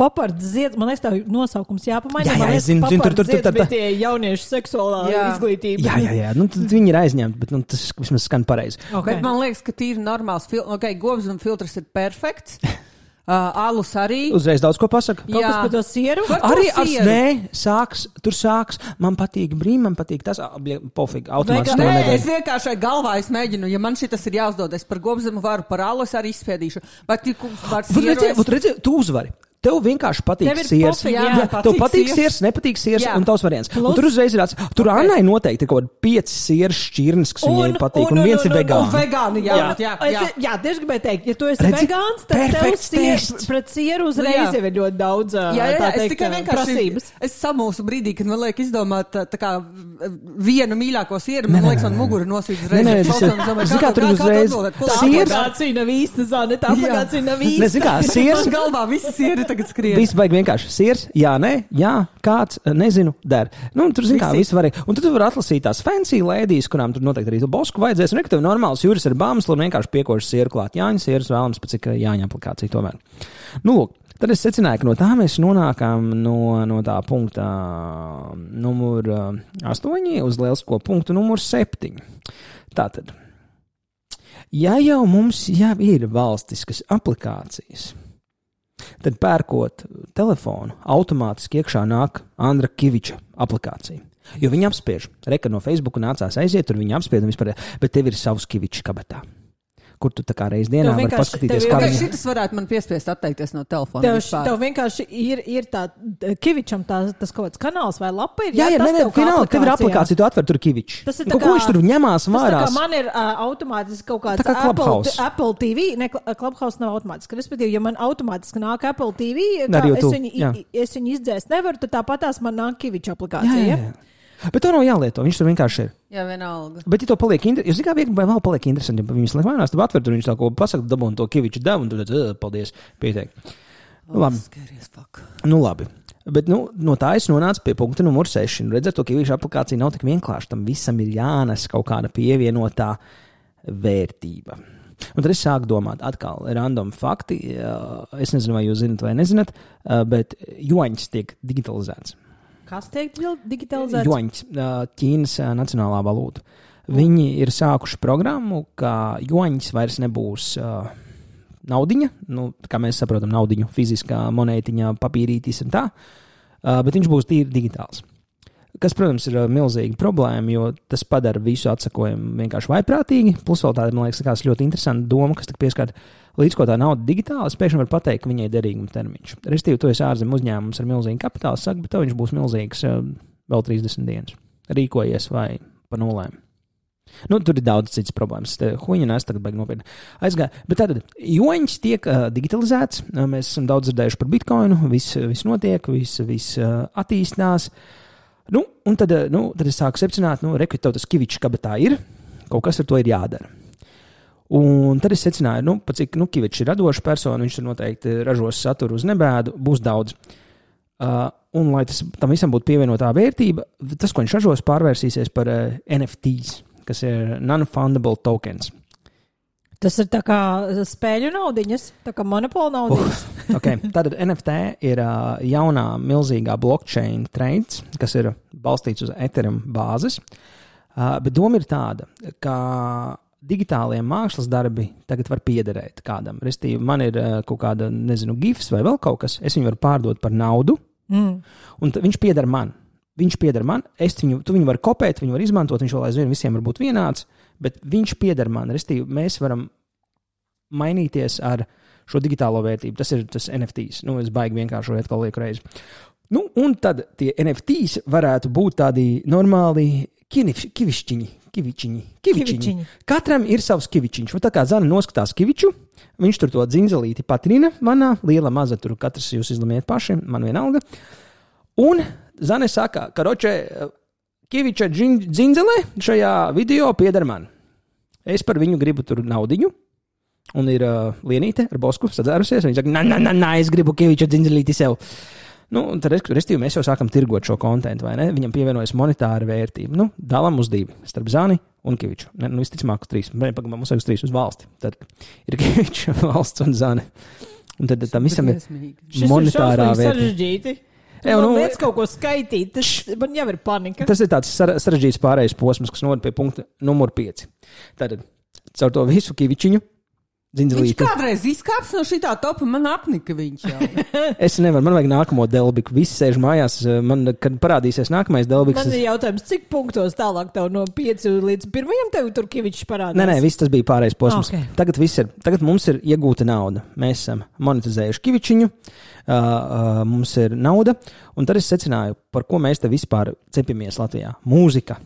Papards zieds, man liekas, tā nosaukums jāpamaina. Jā, Man liekas, zinu, papards zieds tur. bija tie jauniešu seksuālā izglītība. Jā, nu tad viņi ir aizņemti, bet nu, tas vismaz skan pareizi. Okay. Bet man liekas, ka tīri normāls gobzuma filtrs ir perfekts. Alus arī. Uzreiz daudz ko pasaka. Kaut kas par to sieru? Arī tur sāks. Man patīk man patīk tas. Pofīgi, automātiski to nedara. Es vienkārši galvā mēģinu, ja man šitas ir jāuzdod, es par gobzumu varu, par alus arī izspiedīšu. Bet redzi, tu uzvari. Tev vienkārši patīk siers. Tev patīk siers, nepatīk siers un tavs variants. Un tur uzreiz ir tur Annai noteikti ir kaut 5 sieras šķirnes, kas viņai patīk, un viens ir vegāns. Vegāni, jā, tieši gribēju teikt, ja tu esi vegāns, tad tev pret sieru uzreiz jau ir ļoti daudz prasības. Es samūsu brīdī, kad man liek izdomāt tā kā vienu mīļāko sieru, man liekas, man muguru nosvīt uzreiz. Zikā, tur uzreiz siers. Tā aplikācija nav īsta, Zane, tā aplikācija nav īsta. Zikā, siers. Galvā visi sieri tagad skrien. Viss baigi vienkārši siers, jā, nē, jā, kāds, nezinu, der. Nu, tur, zin kā, viss var. Un tad tu vari atlasīt tās fancy lēdijas, kurām tur noteikti arī tu bosku vajadzēs. Un, ka tev normāls jūras ar bāmslu un vienkārši piekoši sieru klāt. Jāņa sieras vēlams, pēc cik jāņa aplikācija tomēr. Nu, lūk, tad es secināju, ka no tā mēs nonākam no tā punkta numur 8 uz lielisko punktu numur 7. Tātad, ja jau mums jau ir valstiskas aplikācijas, tad pērkot telefonu, automātiski iekšā nāk Andra Kiviča aplikācija. Jo viņi apspiež. Reka no Facebooku nācās aiziet, tur viņi apspiež un vispār, bet tev ir savs Kivičs kabatā. Kur tu tā kā reiz dienā vari paskatīties, kā viņi... Šitas varētu man piespiest atteikties no telefona. Tev vienkārši ir tā Kivičam tas kaut kāds kanāls vai lapa ir? Jā, tev ir aplikācija, tu atver tur Kivičs. Tas ir tā kā... Ko viņš tur ņemās vārās? Tas tā kā man ir automātiski kaut kāds Apple TV. Ne, Clubhouse nav automātiski. Respektīvi, ja man automātiski nāk Apple TV, es viņu izdzēst nevaru, tad tāpatās man nāk Kiviča aplikācija. Jā. Bet to nav jālieto, viņš tur vienkārši ir. Jā, vienalga. Bet, ja to paliek interesanti, jūs zināt, vai vēl paliek interesanti, ja viņus liek mainās, tad atver tur viņš tā ko pasaka, dabūn to Kiviču devu, un tad, paldies, pieteik. Nu, labi. Bet, no tā es nonācu pie punkta numur 6. Redzēt, to Kiviču aplikācija nav tik vienkārši, tam visam ir jānes kaut kāda pievienotā vērtība. Un tad es sāku domāt, atkal, random fakti, es nezinu, vai jūs zinat vai nezinat, bet juaņs tiek digitalizēts. Kas tiek digitalizēts? Juaņs, Ķīnas nacionālā valūta. Viņi ir sākuši programmu, ka juaņs vairs nebūs naudiņa, kā mēs saprotam, naudiņu, fiziskā monētiņa, papīrītis un tā, bet viņš būs tīri digitāls. Kas, protams, ir milzīga problēma, jo tas padara visu atsakojumu vienkārši vaiprātīgi, plus vēl tāda, man liekas, ļoti interesanta doma, kas tik pieskārt. Līdz ko tā nauda digitāli, es pēkšņi varu pateikt, ka viņai derīguma termiņš. Restīvi, tu esi ārzem uzņēmums ar milzīgu kapitālu, saka, bet tev viņš būs milzīgs vēl 30 dienas. Rīkojies vai pa nulēm. Tur ir daudz citas problēmas. Huņa nes tagad baigi nopietni aizgāja. Bet tātad, juaņs tiek digitalizēts. Mēs esam daudz dzirdējuši par bitkoinu. Viss notiek, viss attīstās. Un tad es sāku secināt, reku, tev tas Kivičs kabatā ir. Kaut kas ar to ir jādara. Un tad es secināju, cik Kivičs ir radoša persona, viņš tur noteikti ražos saturu uz nebēdu, būs daudz. Un, lai tam visam būtu pievienotā vērtība, tas, ko viņš ražos, pārvērsīsies par NFTs, kas ir non-fundable tokens. Tas ir tā kā spēļu naudiņas, tā kā monopola naudiņas. Okay. Tātad NFT ir jaunā milzīgā blockchain trends, kas ir balstīts uz Ethereum bāzes. Bet doma ir tāda, ka digitālie mākslas darbi tagad var piederēt kādam. Restīvi, man ir kaut kāda, gifs vai vēl kaut kas, es viņu varu pārdot par naudu, un viņš pieder man. Tu viņu vari kopēt, viņu var izmantot, viņš vēl aizvien visiem var būt vienāds, bet viņš pieder man. Restīvi, mēs varam mainīties ar šo digitālo vērtību. Tas ir tas NFTs. Es baigi vienkārši atkal lieku reizi. Un tad tie NFTs varētu būt tādi normāli kivišķiņi. Katram ir savs kivičiņš. Tā kā Zana noskatās kiviču, viņš tur to dzinzelīti patrina manā, liela maza, tur katrs jūs izlemiet paši, man vienalga. Un Zane saka, ka Kiviča dzinzelē šajā video pieder man. Es par viņu gribu tur naudiņu, un ir Lienīte ar bosku sadzērusies, viņa saka, es gribu Kiviča dzinzelīti sev. Tad, restīvi, mēs jau sākam tirgot šo kontentu, vai ne? Viņam pievienojas monetāra vērtība. Dalam uz 2, starp Zani un Kiviču. Visticamāk uz 3. Mums vajag uz 3 uz valsti. Tad ir Kiviča, valsts un Zani. Un tad tam visam ir Briesmīgi. monetārā Šis ir vērtība. sarežģīti. Jā, Man nu- liekas kaut ko skaitīt, man jau ir panika. Tas ir tāds sarežģīts pārējais posms, kas noved pie punkta numur 5. Tātad, caur to visu kivičiņu, Viņš dzindzelīti. kādreiz izkāps no šitā topa, man apnika viņš jau. Es nevaru, man vajag nākamo delbiku. Visi sēž mājās, man, kad parādīsies nākamais delbiks. Man ir jautājums, cik punktos tālāk tev no 5 līdz 1 tev tur kivičs parādās? Nē, viss tas bija pārējais posms. Ok. Tagad mums ir iegūta nauda. Mēs esam monetizējuši kivičiņu, mums ir nauda, un tad es secināju, par ko mēs te vispār cepamies Latvijā. Mūzika,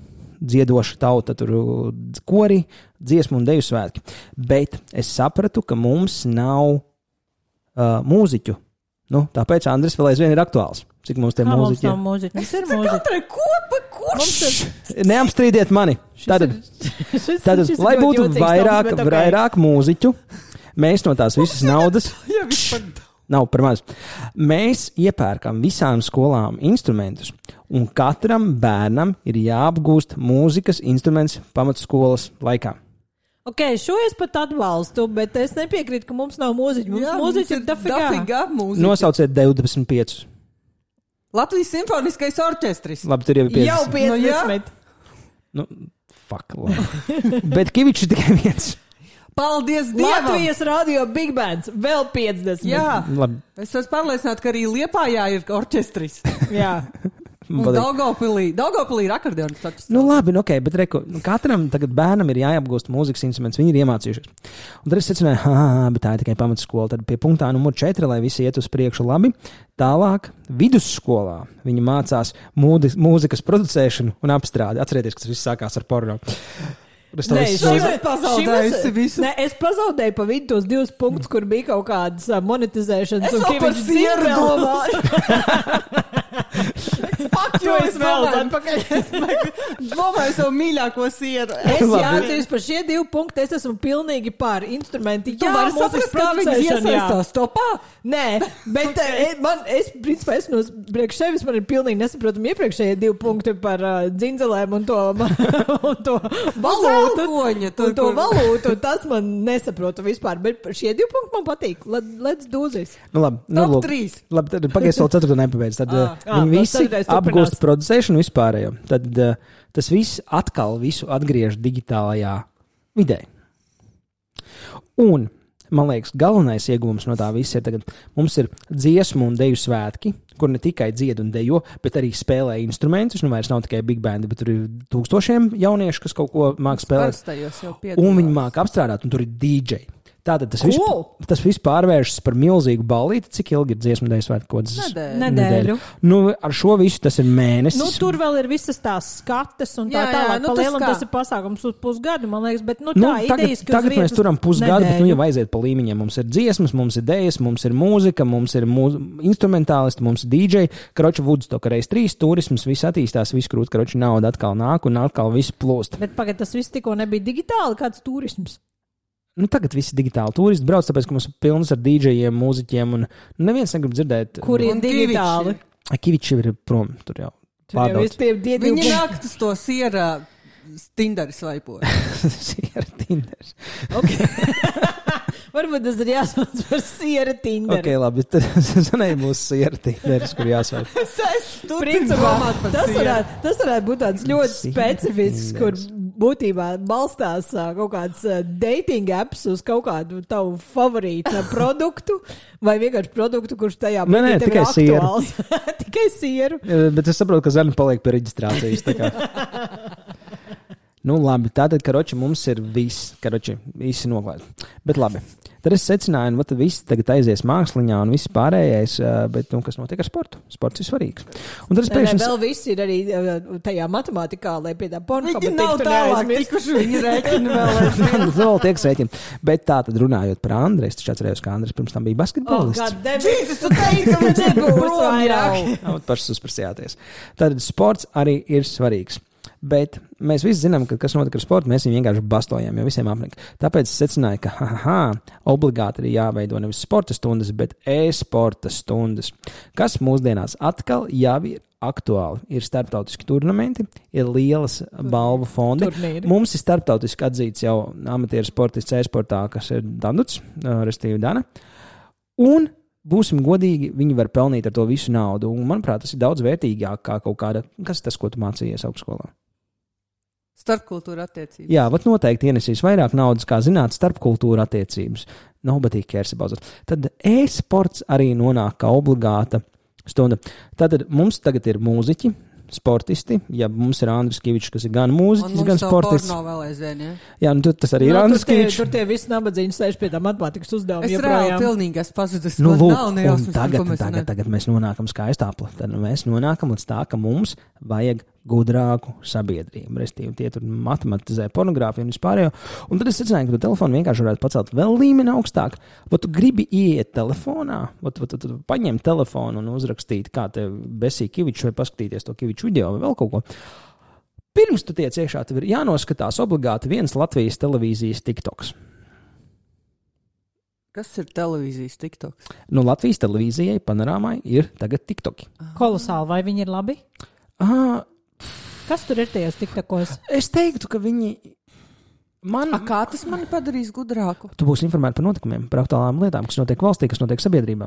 dziedoša tauta, tur kori, dziesmu un deju svētki. Bet es sapratu, ka mums nav mūziķu. Nu, tāpēc Andris vēl aizvien ir aktuāls. Cik mums te Kā mums mūziķi nav ir? mūziķi? Mums ir mūziķi. Katrai kopa, kurš? Neapstrīdiet mani. Tātad, lai būtu vairāk mūziķu, mēs no tās visas naudas Jā, vispār. nav par maz. Mēs iepērkam visām skolām instrumentus, un katram bērnam ir jāapgūst mūzikas instruments pamatskolas laikā. Ok, šo es pat atbalstu, bet es nepiekrītu, ka mums nav mūziķi. Mums mūziķi ir dafigā. mūziķi. Nosauciet 25. Latvijas simfoniskais orķestris. Labi, tur jau ir 50. Jau 50. Nu, fuck, labi. Bet Kivičs ir tikai viens. Paldies Dievam! Latvijas radio Big Bands vēl 50. Jā, Labi. es esmu pārliecināta, ka arī Liepājā ir orķestris. Jā. Un Patīk. Daugavpilī ir akordeonis orķestris. Nu, labi, nu, ok, bet reku, katram tagad bērnam ir jāapgūst mūzikas instruments, viņi ir iemācījušies. Un tad es secināju, bet tā ir tikai pamatskola. Tad pie punktā numur 4, lai visi iet uz priekšu labi. Tālāk, vidusskolā viņi mācās mūzikas producēšanu un apstrādi. Atcerieties, ka tas viss sākās ar porno. Es to Nē, visu- šim- pazaudējusi visu. Nē, es pazaudēju pa vidu tos 2 punktus, kur bija kaut kādas monetizēšanas. Es un vēl par Kivičs sieru dzīvo. domāju. Jo es vēl atpakaļ. Domāju savu mīļāko sieru. Es Labi. jāatceros par šie 2 punkti, es esmu pilnīgi pār instrumenti. Tu vari saprast, kā viņi iesaistās topā? Nē, bet es principā esmu priekš sevis, man ir pilnīgi nesaprotami iepriekšējie 2 punkti par dzindzelēm un to valūtu. Zelkoņa, tur, Un to kur- valūtu, tas man nesaprotu vispār, bet šie 2 punkti man patīk. Let's do this. Nu, labi, nu, Top lūk. 3. Labi, tad pagaidzi vēl 4. nepabeidz. Tad viņi vēl visi 4. apgūst turpinās. producēšanu vispārējo. Tad tas viss atkal visu atgriež digitālajā vidē. Un, man liekas, galvenais iegūms no tā visa ir tagad, mums ir dziesmu un deju svētki, kur ne tikai dzied un dejo, bet arī spēlē instrumentus. Nu, vairs nav tikai big bandi, bet tur ir tūkstošiem jauniešu, kas kaut ko māk spēlēt. Parastajos jau Un viņi māca apstrādāt, un tur ir DJ. Tātad tas, Cool. tas viss pārvēršas par milzīgu ballīti. Cik ilgi ir dziesmu dēļ svētkos? Nedēļu. Nu, ar šo visu tas ir mēnesis. Nu, tur vēl ir visas tās skates un tā Jā, jā, tālāk. nu, Pa tas lielam kā? tas ir pasākums uz pusgadu, man liekas, bet nu, Nu, tā idejas, ka uz tagad mēs vietas turam pusgadu, bet nu, nedēļu. jau aiziet pa līmeņiem. Mums ir dziesmas, mums ir dēļas, mums ir mūzika, mums ir instrumentālisti, mums ir DJ. Kroča Woodstock reiz 3 turisms, viss attīstās, viss krūt, kroča nauda atkal nāk un atkal viss plūst. Bet pagaid, tas viss tikko nebija digitāli, kāds turisms. Nu, tagad visi digitāli turisti brauc, tāpēc, ka mums ir pilns ar DJiem, mūziķiem, un neviens negrib dzirdēt. Kur ir Un digitāli? Kiviči ir prom, tur jau Tur jau pārdauts. ir tie divi Viņi nāk uz to siera Tinderi svaipoja. Siera Tinders. Varbūt tas ir jāsauc par siera Tinderi. Ok, labi, tad zanēja mūsu siera Tinders, kur jāsvērt. Principā, tas varētu būt tāds ļoti specifisks, kur būtībā balstās kaut kāds dating apps uz kaut kādu tavu favorītu produktu, vai vienkārši produktu, kurš tajā Nē, tev ir tikai sieru. aktuāls. Tikai sieru. Bet es saprotu, ka Zana paliek pie reģistrācijas. tā kā. Nu, labi, tātad, karoči, mums ir viss, karoči, visi noklāti. Bet labi, tad es secināju, ka viss tagad aizies māksliņā un viss pārējais, bet, nu, kas notiek ar sportu? Sports ir svarīgs. Un tad es Nē, pēkšņi... vēl viss ir arī tajā matemātikā, lai pie tā pornogrāfija Viņi nav tālāk tikuši, viņi rēķina vēl aizvien. Vēl tiek sēķini. Bet tā tad runājot par Andreju, es taču atcerējos, ka Andrejs pirms tam bija basketbolists. Jēzus, tu teici, ka viņš ir prom jau. Pašas uzprasījāties. Tad sports arī ir svarīgs. Bet mēs visi zinām, ka kas notika ar sportu, mēs viņu vienkārši bastojam, jo visiem apnika. Tāpēc es secināju, ka obligāti ir jāveido nevis sporta stundas, bet e-sporta stundas, kas mūsdienās atkal jau ir aktuāli. Ir starptautiski turnamenti, ir lielas balvu fondi. Turnīri. Mums ir starptautiski atzīts jau amatieru sportists e-sportā, kas ir Danduts, restīvi Dana. Un būsim godīgi, viņi var pelnīt ar to visu naudu. Un, manuprāt, tas ir daudz vērtīgāk kā kaut kāda, kas tas, ko tu mācījies augstskolā. Starpkultūra attiecības. Jā, vat noteikti ienesīs vairāk naudas, kā zināt, starpkultūra attiecības. Nobody cares about it. Tad e-sports arī nonāk kā obligāta stunda. Tātad mums tagad ir mūziķi, sportisti, ja mums ir Andris Kivičs, kas ir gan mūziķis, gan sportists. Un mums vēl aizvien, ja? Jā, nu tas arī ir Andris Kivičs. Tur tie visi nabadzīgi sēž pie tā matemātikas uzdevuma. Es reāli pilnīgi esmu pazudis. Nu, lūk, un tagad mēs nonākam skaistāpli. Tad mēs nonākam līdz tā, ka mums vajag gudrāku sabiedrību. Restīvi, tie tur matematizē pornogrāfiju un vispārējo. Un tad es secināju, ka tu telefonu vienkārši varētu pacelt vēl līmeni augstāk. Vai tu gribi ieiet telefonā, vai tu paņem telefonu un uzrakstīt, kā te besī Kivičs, vai paskatīties to Kiviču video vai vēl kaut ko. Pirms tu tiec iekšā, tev ir jānoskatās obligāti viens Latvijas televīzijas TikToks. Kas ir televīzijas TikToks? Nu, Latvijas televīzijai panorāmai ir tagad TikToki. Kolosāli, vai viņi ir labi? Kas tur ir tajos TikTokos? Es teiktu, ka viņi kā tas mani padarīs gudrāku? Tu būsi informēti par notikumiem, par aktuālām lietām, kas notiek valstī, kas notiek sabiedrībā.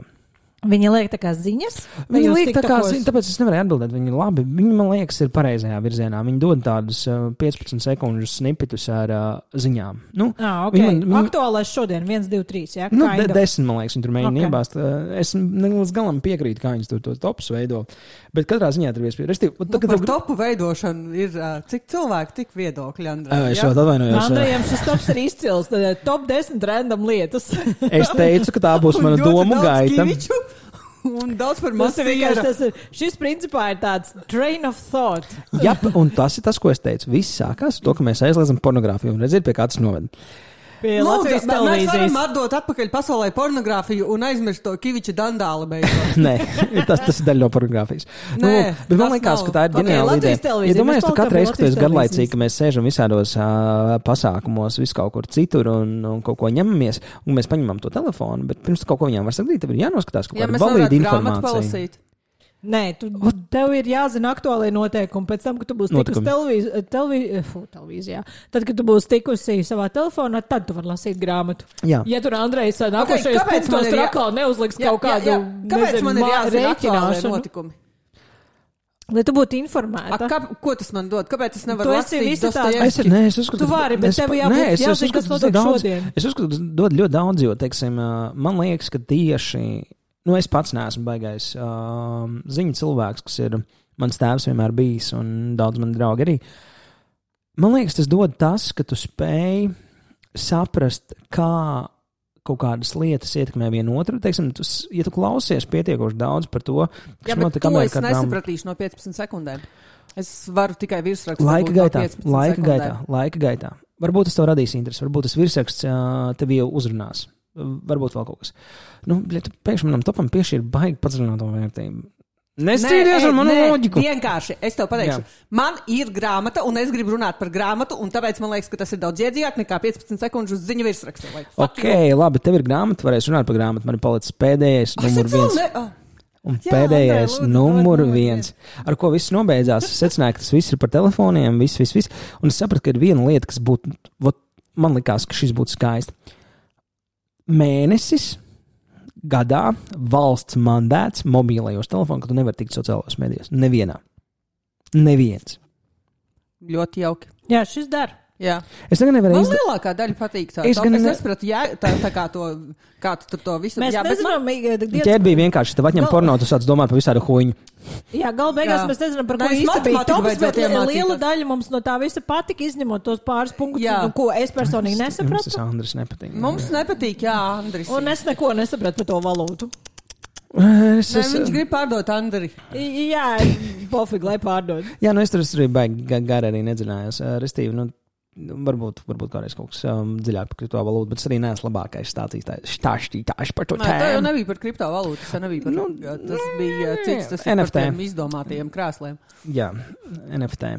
Viņi liek tā kā ziņas? Viņi liek tā kā ziņas, tāpēc es nevarēju atbildēt. Viņi labi, viņi man liekas ir pareizajā virzienā. Viņi dod tādus 15 sekundžu snipetus ar ziņām. Nu, okay. Aktuālais šodien 1, 2, 3, jā? Nu, 10, man liekas, viņi tur mēģina iebāzt. Es līdz galam piekrītu, kā viņi tur tos topus veido. Bet katrā ziņā tur viespēj. Par topu veidošanu ir cik cilvēki, tik viedokļi, Andrej. Es jau atvainojos. Andrejam šis tops ir izcils. Top 10 random lietas. Es teicu, ka tā būs mana domu gaita. Un daudz par masu. Šis principā ir tāds train of thought. Jā, un tas ir tas, ko es teicu. Viss sākās ar to, ka mēs aizliedzam pornogrāfiju un redziet, pie kā tas noved. Latvijas televīzijas. Mēs varam atdot atpakaļ pasaulē pornogrāfiju un aizmirst to Kiviča dandāli beidzot. Nē, tas ir daļa no pornogrāfijas. Bet man liekas, ka tā ir ģeniāla ideja. Iedomājies, tu katru reizi, kad tu esi garlaicīgi, ka mēs sēžam visādos pasākumos, vis kaut kur citur un kaut ko ņemamies, un mēs paņemam to telefonu, bet pirms kaut ko viņām var sakīt, tev ir jānoskatās kaut kāda valīda informācija. Nē, tev ir jāzina aktuālajie noteikumi. Pēc tam, kad tu būsi tikusi televīzijā, tad, kad tu būsi tikusi savā telefonā, tad tu vari lasīt grāmatu. Jā. Ja tur Andrejs nākošais punktos trakā neuzliks kaut kādu rēķināšanu notikumi? Lai tu būtu informēta. Ko tas man dod? Kāpēc es nevaru lasīt Dostojevski? Es uzskatu, tu vari, bet tev jāzina, kas notiek šodien. Es uzskatu, ka dod ļoti daudz, jo, teiksim, man liekas, ka tieši es pats neesmu baigais ziņu cilvēks, kas ir mans tēvs vienmēr bijis un daudz mani draugi arī. Man liekas, tas dod tas, ka tu spēj saprast, kā kaut kādas lietas ietekmē vienu otru. Teiksim, ja tu klausies pietiekoši daudz par to, kas notiek Amerikā. Jā, bet to es nesapratīšu no 15 sekundēm. Es varu tikai virsrakstu. Laika gaitā. Varbūt tas tev radīs interesi, varbūt tas virsraksts tev jau uzrunās. Varbūt vēl kaut kas. Pēkšņi manam topam piešķir baigi padziļināto vērtību. Nestrīdies ar manu loģiku. Vienkārši, es tev pateikšu. Man ir grāmata, un es gribu runāt par grāmatu, un tāpēc man liekas, ka tas ir daudz iedzīgāk nekā 15 sekundžu uz ziņu virsrakstu. Labi, tev ir grāmata, varēs runāt par grāmatu. Man ir palicis pēdējais numur 1. Un pēdējais numur 1, ar ko viss nobeidzās. Es secināju, ka tas viss ir par telefoniem, viss. Un es sapratu, ka ir viena lieta, kas būtu, man likās, ka šis būtu skaisti. Mēnesis gadā valsts mandēts mobilajos telefonos, ka tu nevari tikt sociālajos medijos. Neviens. Ļoti jauki. Jā, šis dara. Jā. Man lielākā daļa patīk tā. Es nesapratu, tā kā tu to visu. Mēs nezinām, ķērbija vienkārši, tev atņem porno, tu sāc domāt par visādu huņu. Jā, gala beigās mēs nezinām, par ko īsti bija tops, bet liela daļa mums no tā visa patika, izņemot tos pāris punktus, ko es personīgi nesapratu. Mums tas Andris nepatīk. Mums nepatīk, jā, Andris. Un es neko nesapratu par to valūtu. Viņš grib pārdot Andri. Jā, pofīgi, lai pārdod. Jā, es tur arī baigi gari arī nedziļājos. Restīvi, varbūt kādreiz kaut kas dziļāk par kriptovalūtu, bet es arī neesmu labākais stāstītājs par to tēmu. Tā jau nebija par kriptovalūtu, tas bija cits, tas ir NFT. Par tiem izdomātajiem krēsliem. Jā, NFT.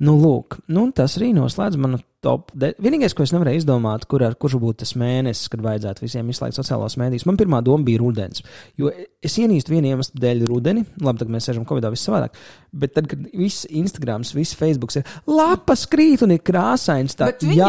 Lūk, tas arī noslēdz manu top. Vienīgais, ko es nevarēju izdomāt, kurš būtu tas mēnesis, kad vajadzētu visiem izslēgt sociālos mēdījus. Man pirmā doma bija rudens, jo es ienīstu vienu iemeslu dēļ rudeni. Labi, tagad mēs sēžam Covidā viss savādāk. Bet tad, kad viss Instagrams, viss Facebooks ir lapas krīt un ir krāsains, tā tieši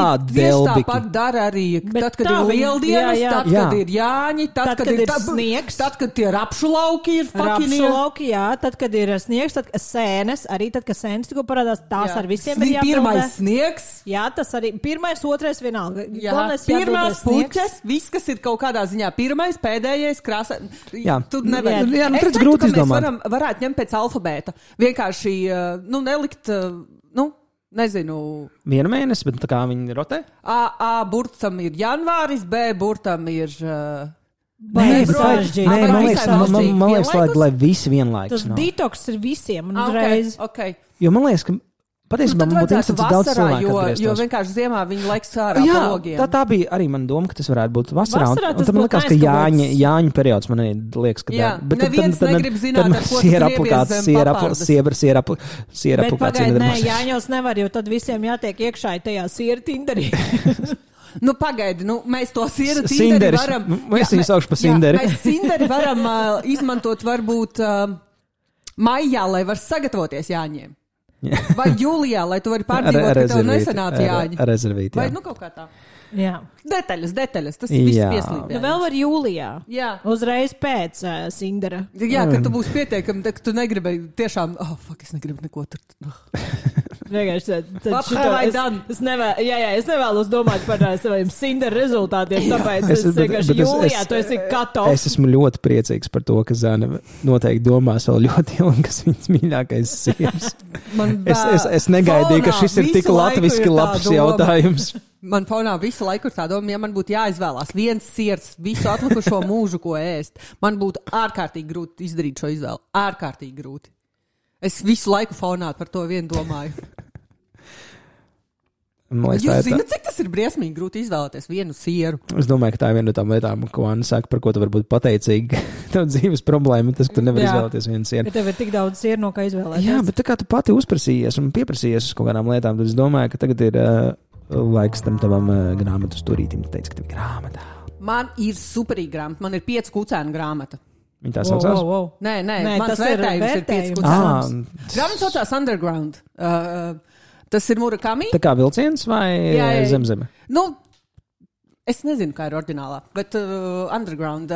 tāpat dara arī, tad, kad ir lieldienas, tad, kad ir Jāņi, tad, kad ir sniegs, tad, kad tie rapšu lauki ir lauki, jā, tad, kad ir sniegs, tad, kad sēnes, arī tad, kad sēnes tikko parādās, tās ar visiem ir jāpildē. Pirmais sniegs. Jā, tas arī pirmais, otrais vienalga. Pirmās puķes, viss, kas ir kaut kādā ziņā pirmais, pēdējais, krāsa. Jā, tu nevar. Jā, es teiktu, ka mēs varētu ņemt pēc alfabēta. Vienkārši, nelikt, nezinu. Vienu mēnesi, bet tā kā viņi rotē? A burtam ir janvāris, B burtam ir... Man liekas, lai visi vienlaikus. Tas detoks ir visiem un uzreiz. Okay. Jo man liekas, ka patiesībā man būtu interesants daudz cilvēku atgrieztos. Jo vienkārši ziemā viņi laiks ārā pa logiem. Tā bija arī mana doma, ka tas varētu būt vasarā. Un tad man liekas, ka Jāņu periods man liekas, ka jā. Neviens negrib zināt, ar ko tu griebies zem papardas. Bet pagaid, nē, Jāņos nevar, jo tad visiem jātiek iekšā tajā siera Tinderī. Pagaidi, mēs to sieru Tinderi varam... Mēs viņu saukšu pa Sinderi. Mēs Tinderi varam izmantot varbūt maijā, lai var sagatavoties Jāņiem. Vai jūlijā, lai tu vari pārdzīvot, ka tev nesanāca Jāņi. Rezervīt, jā. Vai kaut kā tā. Jā. Detaļas, tas viss pieslīdē. Vēl var jūlijā. Jā. Uzreiz pēc Sindera. Jā, kad tu būsi pietiekami, ka tu negribēji tiešām, es negribu neko tur. Vienkārši es nevēlos domāt par saviem Sindera rezultātiem, tāpēc es vienkārši jūlijā tu esi cut-off. Es esmu ļoti priecīgs par to, ka Zana noteikti domās vēl ļoti ilgi, kas viņas mīļākais sieras. Es negaidīju, ka šis ir tik latviski labs jautājums. Man fonā visu laiku ir tā doma, ja man būtu jāizvēlās viens siers visu atlikušo mūžu, ko ēst, man būtu ārkārtīgi grūti izdarīt šo izvēli. Ārkārtīgi grūti. Es visu laiku fonā par to vienu domāju. Jūs zināt, cik tas ir briesmīgi grūti izvēlēties vienu sieru? Es domāju, ka tā ir viena no tām lietām, ko Anna saka, par ko tu vari būt pateicīgi. Tev dzīves problēma, tas, ka tu nevari izvēlēties vienu sieru. Bet tev ir tik daudz sieru, no kā izvēlēties. Jā, bet tā kā tu pati uzprasījies un pieprasījies uz kaut kādām lietām, tad es domāju, ka tagad ir laiks tam tavam grāmatu stūrītim. Tu teici, ka tev ir grāmata. Man ir superīga grāmata. Man ir 5 kucēnu grāmata. Viņa tā saucās? Nē, mans vērtējums ir 5 kucēns. Grāmata saucās Underground. Tas ir Murakami. Tā kā vilciens vai zemzeme? Es nezinu, kā ir oriģinālā, bet Underground.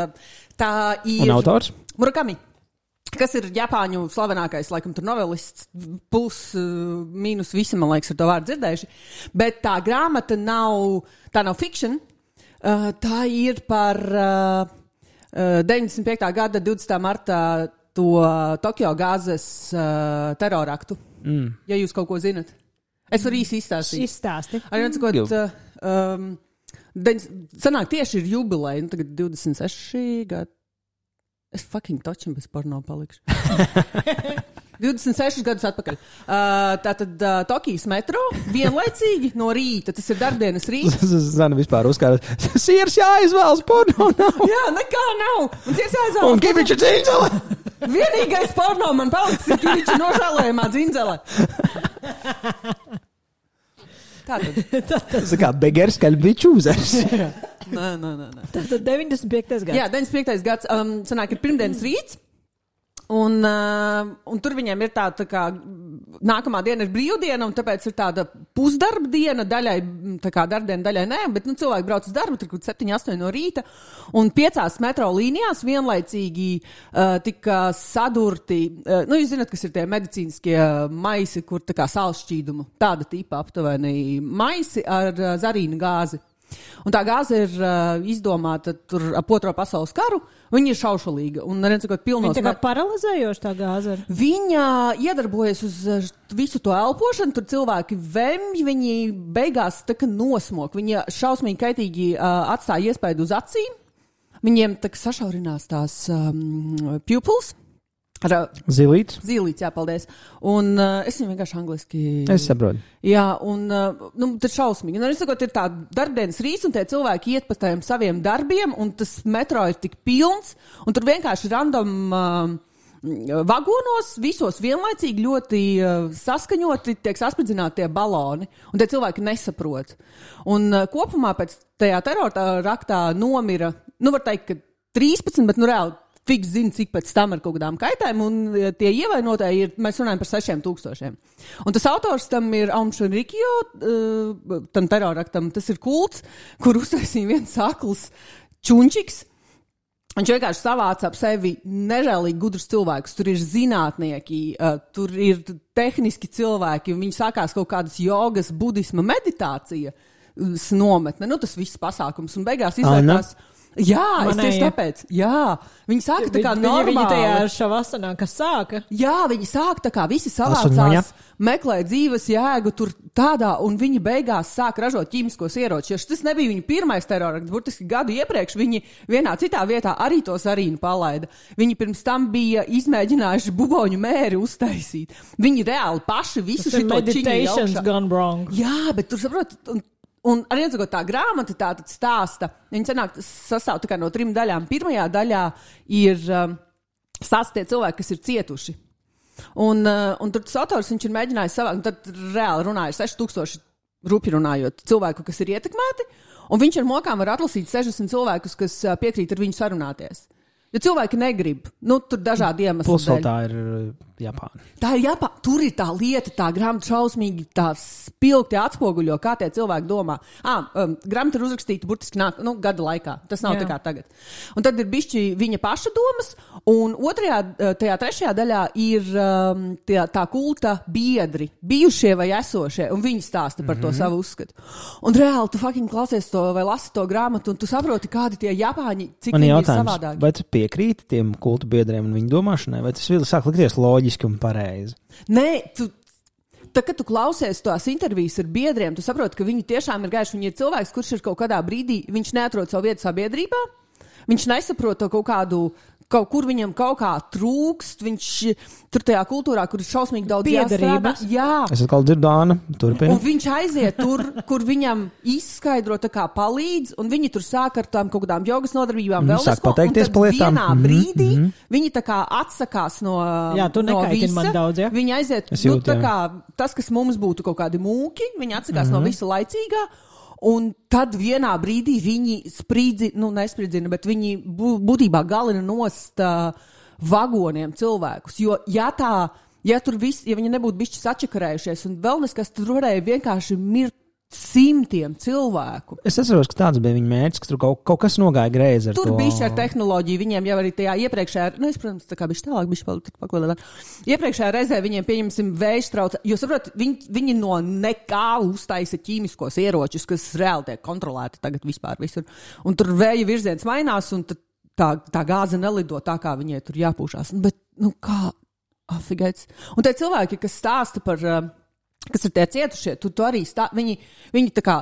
Tā ir... Un autors? Murakami. Kas ir Japāņu slavenākais, laikam, tur novelists, plus, mīnus visi, man liekas, ar to vārdu dzirdējuši. Bet tā grāmata nav fiction. Tā ir par 95. gada 20. martā to Tokio gāzes teroraktu. Ja jūs kaut ko zinat. Es varu īsi izstāstīt. Izstāsti. Arī atsakot, sanāk tieši ir jubileja, tagad 26 gadi. Es fucking točam bez porno palikšu. 26 gadus atpakaļ. Tātad Tokijas metro vienlaicīgi no rīta, tas ir darbdienas rīts. Zana vispār uzkāra, siers jāizvēlas, porno nav. Jā, nekā nav. Un siers jāizvēlas. Un Kiviča dzindzele. Vienīgais porno man palicis ir Kiviča nožēlējumā dzindzele. Tas ir kā begers, kaļ biču uzers. Nē. Tātad 95. gads. Jā, 95. gads. Sanāk, ir pirmdienas rīts. Un tur viņiem ir tā kā nākamā diena ir brīvdiena, un tāpēc ir tāda pusdarba diena daļai, tā kā darbdiena daļai nē, bet cilvēki brauc uz darbu, tur 7-8 no rīta, un 5 metro līnijās vienlaicīgi tika sadurti, jūs zināt, kas ir tie medicīniskie maisi, kur tā kā sālšķīdumu, tāda tipa aptuveni maisi ar zarīnu gāzi. Un tā gāze ir izdomāta tur ap 2. pasaules karu. Viņa ir šaušalīga. Viņa tā kā paralizējoša tā gāze ir. Viņa iedarbojas uz visu to elpošanu. Tur cilvēki vemj, viņi beigās tā kā nosmok. Viņa šausmīgi kaitīgi atstāja iespaidu uz acīm. Viņiem tā kā sašaurinās tās pupils. Zilīts. Zilīts, jā, paldies. Un es viņu vienkārši angliski... Es saprotu. Jā, un tad šausmīgi. Es sakot, ir tā darbdienas rīts, un tie cilvēki iet pa tiem saviem darbiem, un tas metro ir tik pilns, un tur vienkārši random vagonos visos vienlaicīgi ļoti saskaņoti tiek saspridzināti tie baloni, un tie cilvēki nesaprot. Un kopumā pēc tajā terroraktā nomira, var teikt, ka 13, bet reāli fiks zina, cik pēc tam ar kaut kādām kaitēm, un tie ievainotāji ir, mēs runājam par 6,000. Un tas autors tam ir Aum Shinrikyo, tam terroraktam, tas ir kults, kur uztaisīja viens akls čunčiks. Viņš vienkārši savāca ap sevi nežēlīgi gudrus cilvēkus. Tur ir zinātnieki, tur ir tehniski cilvēki, un viņi sākās kaut kādas jogas, budisma meditācija nometne. Tas viss pasākums, un beigās izvērtās. Jā, es tieši tāpēc. Jā, viņi sāka tā kā normāli. Viņi tajā šavasanā, kas sāka. Jā, viņi sāka tā kā visi savācās, meklē dzīves jēgu tur tādā, un viņi beigās sāk ražot ķīmiskos ieročus. Tas nebija viņa pirmais terrorakts, burtiski gadu iepriekš viņi vienā citā vietā arī to sarīnu palaida. Viņi pirms tam bija izmēģinājuši buboņu mēri uztaisīt. Viņi reāli paši visu šito čiņu meditations gone wrong. Jā, bet tur saprot, un arī atsakot tā grāmata tā tad stāsta, viņa sastāv tā kā no 3 daļām. Pirmajā daļā ir stāsta tie cilvēki, kas ir cietuši. Un tur tas autors, viņš ir mēģinājis savākt, un tad reāli runāja 6,000 rupi runājot cilvēku, kas ir ietekmēti, un viņš ar mokām var atlasīt 60 cilvēkus, kas piekrīt ar viņu sarunāties. Ja cilvēki negrib, tur dažādi iemesli. Plus vēl tā ir Japāna. Tā ir Japāna. Tur ir tā lieta, tā grāmata šausmīgi tā spilgti atspoguļo, kā tie cilvēki domā. Grāmata ir uzrakstīta burtiski gada laikā. Tas nav tā kā tagad. Un tad ir bišķi viņa paša domas, un tajā 3. daļā ir tā kulta biedri, bijušie vai esošie, un viņi stāsta par to savu uzskatu. Un reāli tu fucking klausies to vai lasi to grāmatu, un tu saproti, kādi tie Japāņi, cik viņi ir savādāki. Vai tu piekrīti tiem kultu biedriem un viņu domāšanai, vai tas vēl sāk likties loģiski un pareizi? Nē, kad tu klausies tās intervijas ar biedriem, tu saproti, ka viņi tiešām ir gājuši, viņi ir cilvēks, kurš ir kaut kādā brīdī, viņš neatrod savu vietu sabiedrībā, viņš nesaprot to kaut kur viņam kaut kā trūkst, viņš tur tajā kultūrā, kur ir šausmīgi daudz jāstrādā. Jā. Es atkal dzirdu Āna, turpini. Un viņš aiziet tur, kur viņam izskaidro tā kā palīdz, un viņi tur sāk ar tām kaut kādām jogas nodarbībām vēl sāk pateikties par lietām. Un tad vienā brīdī viņi tā kā atsakās no jā, tu nekaitini man daudz, ja? Viņi aiziet, tā kā tas, kas mums būtu kaut kādi mūki, viņi atsakās no visa laicīgā. Un tad vienā brīdī viņi nespridzina, bet viņi būtībā galina nost vagoniem cilvēkus. Jo, ja viņi nebūtu bišķi sačakarējušies, un vēl neskas tur varēja vienkārši mirt simtiem cilvēku. Es atceros, ka tāds bija viņa mērķis, ka tur kaut kas nogāja greizi ar tur to. Tur bišķi ar tehnoloģiju, viņiem jau arī tajā iepriekšējā, es, protams, tā kā bišķi tālāk, bišķi paklādāt. Iepriekšējā reizē viņiem pieņemsim vējš trauca, jo, saprot, viņi no nekā uztaisa ķīmiskos ieročus, kas reāli tiek kontrolēti tagad vispār visur. Un tur vēja virziens mainās, un tā gāze nelido tā, kā viņai tur jāpūšās. Bet, kā afigaits. Un tie cilvēki, kas stāsta par kas ir tie cietušie, tu arī viņi tā kā,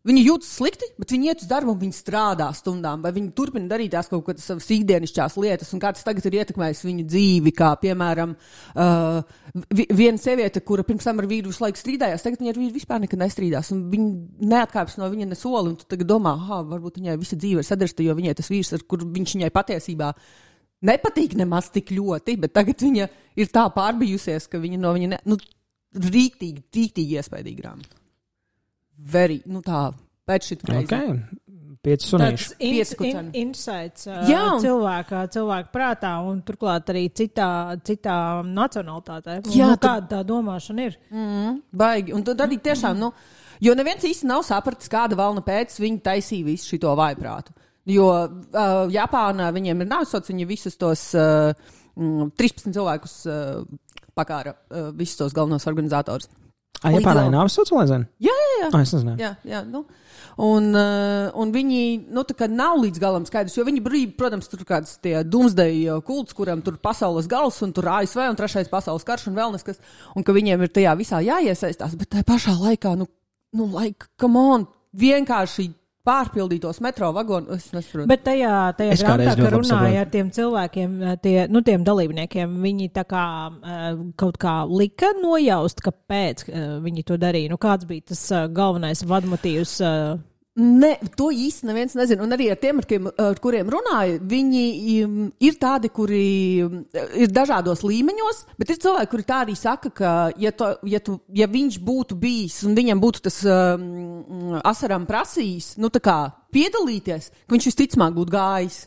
viņi jūtas slikti, bet viņi iet uz darbu un viņi strādā stundām, vai viņi turpina darīt tās kaut kādas savas ikdienišķās lietas, un kā tas tagad ir ietekmējis viņu dzīvi, kā, piemēram, viena sieviete, kura pirms tam ar vīru visu laiku strīdājās, tagad viņa ar vīru vispār nekad nestrīdās, un viņa neatkāpjas no viņa ne soli, un tu tagad domā, varbūt viņai visa dzīve ir sadarsta, jo viņai tas vīrs, ar kur viņš viņai patiesībā nepatīk nemaz tik ļoti, bet tagad viņa ir tā pārbijusies, ka viņa no viņa rīktīgi iespaidīgi grāmata. Tā, pēc šit reizi. Okay. 5 sunīši. Tāds insights cilvēka prātā un turklāt arī citā nacionalitātē. Jā, kāda tā domāšana ir. Baigi. Un tad arī tiešām, jo neviens īsti nav sapratis, kāda valna pēc viņi taisīja visu šito vājprātu. Jo Japānā viņiem ir nāvisots, viņi visus tos 13 cilvēkus pakāra visus tos galvenos organizatorus. Japānā ir nāvisots, vai zini? Jā. Es nezināju. Jā. Un viņi, tā kā nav līdz galam skaidrs, jo viņi brīd, protams, tur kāds tie doomsday kults, kuram tur pasaules gals un tur ASV un 3. pasaules karš un vēl neskas, un ka viņiem ir tajā visā jāiesaistās, bet tajā pašā laikā, come on, vienkārši pārpildītos metro vagonu, es nesaprotu. Bet tajā grāmatā, ka runāja ar tiem cilvēkiem, tiem dalībniekiem, viņi tā kā kaut kā lika nojaust, kāpēc viņi to darīja. Kāds bija tas galvenais vadmotīvs? Ne, to īsti neviens nezina. Un arī ar tiem, ar kuriem runāju, viņi ir tādi, kuri ir dažādos līmeņos, bet ir cilvēki, kuri tā arī saka, ka ja viņš būtu bijis un viņam būtu tas asaram prasījis, nu tā kā piedalīties, ka viņš visticamāk būtu gājis.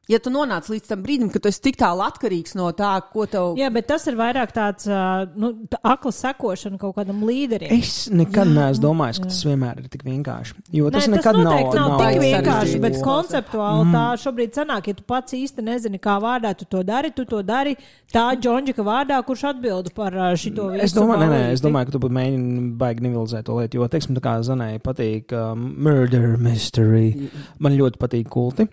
Ja tu nonāc līdz tam brīdim, ka tu esi tik tālu atkarīgs no tā, ko tev... Jā, bet tas ir vairāk tāds akla sekošana kaut kādam līderim. Es nekad neesmu domājis, ka tas vienmēr ir tik vienkārši. Jo tas nekad nav tik vienkārši, bet būs. Konceptuāli tā šobrīd sanāk, ja tu pats īsti nezini, kā vārdā tu to dari tā Džondžika vārdā, kurš atbildu par šito visu. Es domāju, ka tu būtu mēģini baigi nivilizēt to lietu, jo, teiksim, tā kā Zanai patīk murder mystery. Man ļoti patīk kulti.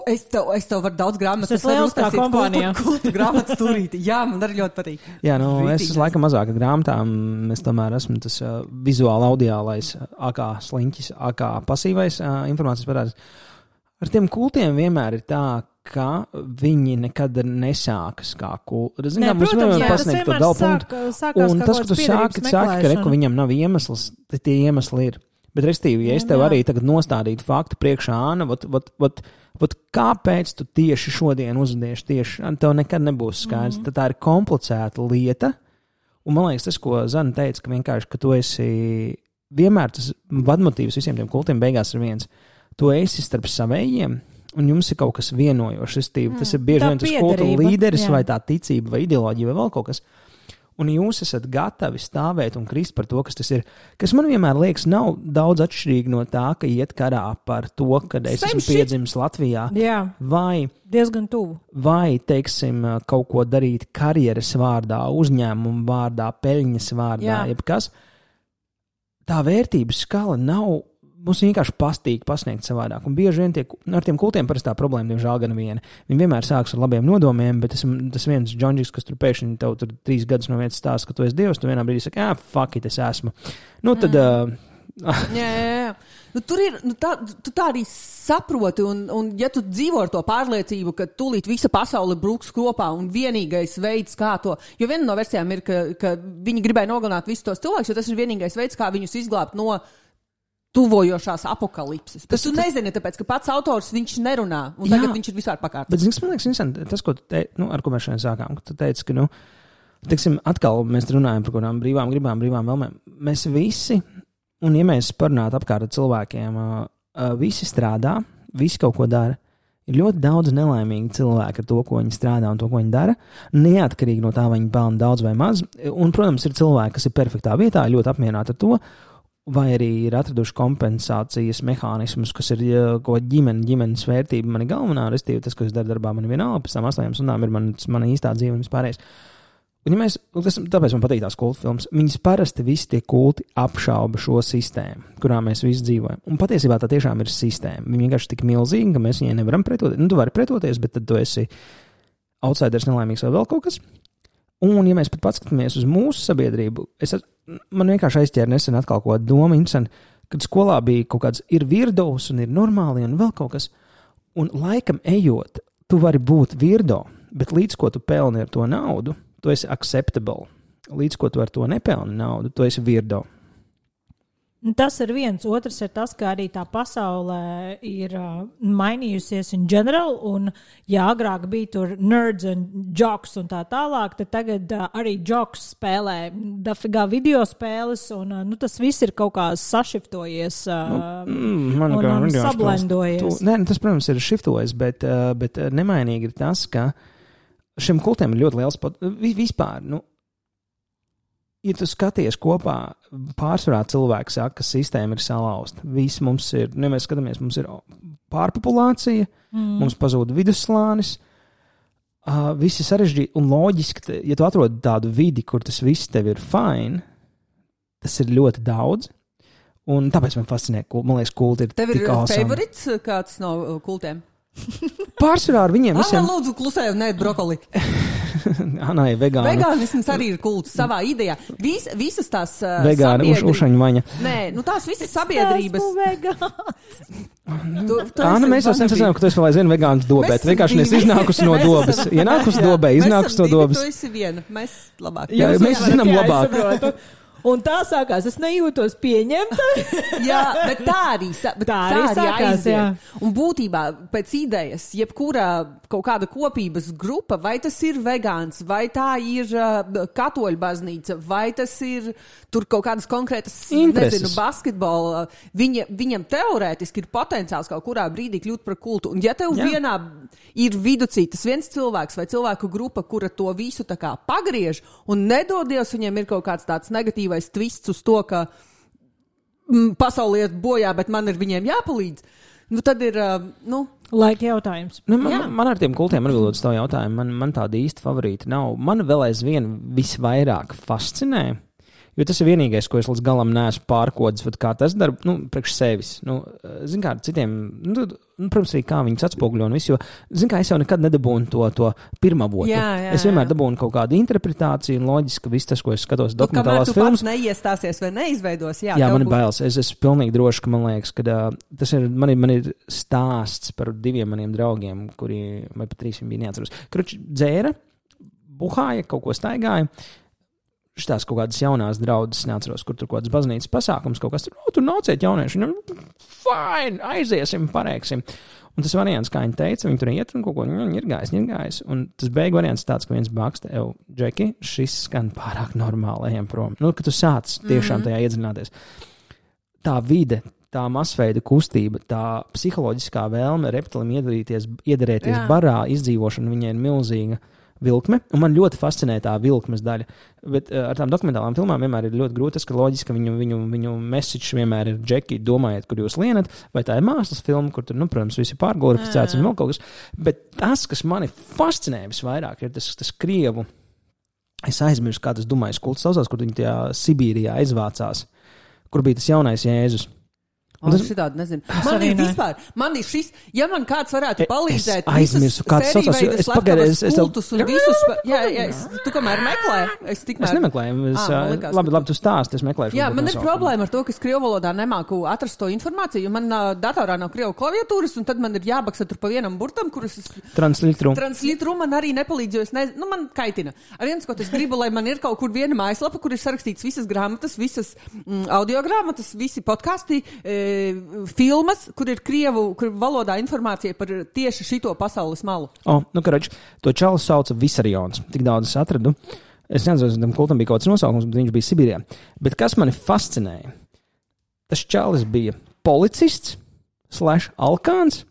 Es tev varu daudz grāmatas. Tas ir lieliskā kompānijā. Kultu grāmatas turīti. Jā, man arī ļoti patīk. Jā, es laikam mazāk ar grāmatām. Es tomēr esmu tas vizuāli audiālais AK sliņķis, AK pasīvais informācijas parādis. Ar tiem kultiem vienmēr ir tā, ka viņi nekad nesākas kā kulti. Protams, tas vienmēr sākās un tas, ka tu sāki, ka viņam nav iemesls, tad tie iemesli ir. Bet, restīvi, ja es tev arī tagad nostādītu faktu priekšā, Āna, kāpēc tu tieši šodien uzvedies tieši, tev nekad nebūs skaidrs. Tad tā ir komplicēta lieta, un man liekas tas, ko Zana teica, ka vienkārši, ka tu esi, vienmēr tas vadmotīvs visiem tiem kultiem beigās ir viens. Tu esi starp savējiem, un jums ir kaut kas vienojošs, restīvi. Tas ir bieži vien tas kultu līderis vai tā ticība vai ideoloģija vai vēl kaut kas. Un jūs esat gatavi stāvēt un krist par to, kas tas ir. Kas man vienmēr liekas, nav daudz atšķirīgi no tā, ka iet karā par to, kad es esmu piedzimis Latvijā. Jā, vai diezgan tuvu. Vai, teiksim, kaut ko darīt karjeras vārdā, uzņēmumu vārdā, peļņas vārdā, jebkas. Tā vērtības skala nav... Mums vienkārši pastīgi pasniegt savādāk. Un bieži vien ar tiem kultiem parasti tā problēma, diemžēl, gan viena. Viņi vienmēr sāks ar labiem nodomiem, bet tas viens Džondžiks, kas tur pēkšņi tev tur 3 gadus no vietas stāsta, ka tu esi Dievs, tu vienā brīdī saki, fuck it, es esmu. Nu, tad... Jā. Nu, tur ir, tu tā arī saproti, un ja tu dzīvo ar to pārliecību, ka tūlīt visa pasaule brūks kopā un vienīgais veids, kā to, jo viena no versijām ir, ka viņi gribēja nogalināt visus tos cilvēkus, jo tas ir vienīgais veids, kā viņus izglābt no tuvojošās apokalipses. Tu nezini, tāpēc, ka pats autors viņš nerunā, un tagad viņš ir visādi pakārts. Bet, man liekas, interesanti, tas, ko tu teici, ar ko mēs šodien sākām, ka tu teici, ka, teiksim, atkal mēs runājam par kādām brīvām gribām, brīvām vēlmēm. Mēs visi, un ja mēs parunātu apkārt ar cilvēkiem, visi strādā, visi kaut ko dara. Ir ļoti daudz nelaimīgi cilvēki ar to, ko viņi strādā un to, ko viņi dara, neatkarīgi no tā, vai viņi pelna daudz vai maz. Un, protams, ir cilvēki, kas ir perfektā vietā, ļoti apmierināti ar to, vai arī ir atraduši kompensācijas mehānismus, kas ir ģimenes vērtība, mani galvenā, restīvi tas, ko es daru darbā, man vienalga, pēc tam 8 stundām ir mana īstā dzīve un vispārējais. Un ja tāpēc man patīk tās kultu filmas, viņas parasti visi tie kulti apšauba šo sistēmu, kurā mēs visi dzīvojam. Un patiesībā tā tiešām ir sistēma. Viņa vienkārši tik milzīga, ka mēs viņai nevaram pretoties. Tu vari pretoties, bet tad tu esi outsiders, nelaimīgs vai vēl kaut kas. Un, ja mēs pat paskatāmies uz mūsu sabiedrību, man vienkārši aizķēra nesen atkal kaut kāda doma, kad skolā bija kaut kāds ir virdovs un ir normāli un vēl kaut kas. Un laikam ejot, tu vari būt virdo, bet līdz ko tu pelni ar to naudu, tu esi acceptable. Līdz ko tu ar to nepelni naudu, tu esi virdo. Tas ir viens. Otrs ir tas, ka arī tā pasaulē ir mainījusies in general, un ja agrāk bija tur nerds un jocks un tā tālāk, tad tagad arī jocks spēlē dafigā video spēles, un tas viss ir kaut kā sašiftojies un sablendojies. Tas, protams, ir šiftojies, bet nemainīgi ir tas, ka šiem kultiem ir ļoti liels vispār, ja tu skaties kopā, pārsvarā cilvēki saka, ka sistēma ir salauzta. Visi mums ir, mēs skatāmies, mums ir pārpopulācija, mums pazūd vidusslānis, visi sarežģīti un loģiski, ja tu atrodi tādu vidi, kur tas viss tev ir fine, tas ir ļoti daudz, un tāpēc man fascinē, man liekas, kulti ir tev tik awesome. Tev ir favorits kāds no kultiem? Pārsvarā ar viņiem visiem... Lūdzu, klusēju, ne brokoli. Anai, vegāni. Vegānisms arī ir kults savā idejā. Visas tās vegāni, ušaņu vaņa. Nē, tās visas sabiedrības. Āna, mēs jau sensacinām, ka tu esi vēl aizvien vegāns dobē. Tu vienkārši nes iznākusi no dobes. Ienākusi dobē, iznākusi no dobes. Tu esi viena. Mēs labāk. Jā, mēs zinām labāk. Un tā sākās, es nejūtos pieņemta. Jā, bet tā arī sākās, aiziet. jā. Un būtībā pēc idejas, jebkura kaut kāda kopības grupa, vai tas ir vegāns, vai tā ir katoļu baznīca, vai tas ir tur kaut kādas konkrētas, nezinu, basketbola, viņam teorētiski ir potenciāls kaut kurā brīdī kļūt par kultu. Un ja tev vienā ir viducī tas viens cilvēks vai cilvēku grupa, kura to visu tā kā pagriež un nedodies, viņiem ir kaut kāds tāds negatīvais twists uz to, ka pasaulē iet bojā, bet man ir viņiem jāpalīdz. Tad ir, laika jautājums. Man ar tiem kultiem atbildot uz to jautājumu, man tāda īsta favorīta nav. Man vēl aizvien visvairāk fascinē, jo tas ir vienīgais, ko es līdz galam neesmu pārkodis, kā tas dara, priekš sevis. Zin kā, citiem, protams, arī kā viņus atspoguļo un visu, jo, zin kā, es jau nekad nedabūnu to pirmavotu. Es vienmēr dabūnu kaut kādu interpretāciju un loģiski viss tas, ko es skatos dokumentālās filmas. Kamēr tu pats neiestāsies vai neizveidos, man ir bailes. Es esmu pilnīgi droši, ka man liekas, ka tas ir, man ir stāsts par 2 maniem draugiem, kuri, vai pat 3 viņi bija neatceros. Kruči dzēra, buhāja, kaut ko staigāja. Šitās kaut kādas jaunās draudzes, neatceros, kur tur kaut kādas baznīcas pasākums, kaut kas tur nāciet jaunieši, viņam, fine, aiziesim, pareiksim. Un tas variants, kā viņi teica, viņi tur iet un kaut ko ir gājis. Un tas beigu variants tāds, ka viens baksta, Džeki, šis skan pārāk normāli, ejam prom. Ka tu sāc tiešām tajā iedziļināties. Tā vide, tā masveida kustība, tā psiholoģiskā vēlme reptilim iedarēties barā, izdzīvošana viņai ir milzīga. Vilkme, un man ļoti fascinē tā vilkmes daļa, bet ar tām dokumentālām filmām vienmēr ir ļoti grūti, ka loģiski, ka viņu message vienmēr ir Džeki, domājiet, kur jūs lienat, vai tā ir mākslas filma, kur tur, protams, visi pārglorificēts un vēl kaut kas, bet tas, kas mani fascinē visvairāk, ir tas krievu, es aizmirsu, kā tas Dumais kults saucās, kur viņi tajā Sibīrijā aizvācās, kur bija tas jaunais Jēzus. Šitādi nezinu. Man ir šis, ja man kāds varētu palīdzēt, aizmirsu, kāds saucās, es pagaidu, kultus un visus, tu kamēr meklē, es nemeklēju, labi, tu stāsti, es meklēšu. Jā, man ir problēma ar to, ka es krievu valodā nemāku atrast to informāciju, jo man datorā nav krievu klaviatūras, un tad man ir jābaksa tur pa vienam burtam, kurus es... Translitru man arī nepalīdz, jo es nezinu, man kaitina. Ar viens, ko es gribu, lai man ir kaut kur viena mājaslapa, kur ir sarakstīts visas grāmatas, visas audiogrāmatas, visi podkasti, filmas, kur ir krievu valodā informācija par tieši šito pasaules malu. Karoči, to čalu sauca Visarions. Tik daudz es atradu. Es nezinu, tam kultam bija kaut kāds nosaukums, bet viņš bija Sibīrijā. Bet kas mani fascinēja? Tas čalis bija policists / alkāns,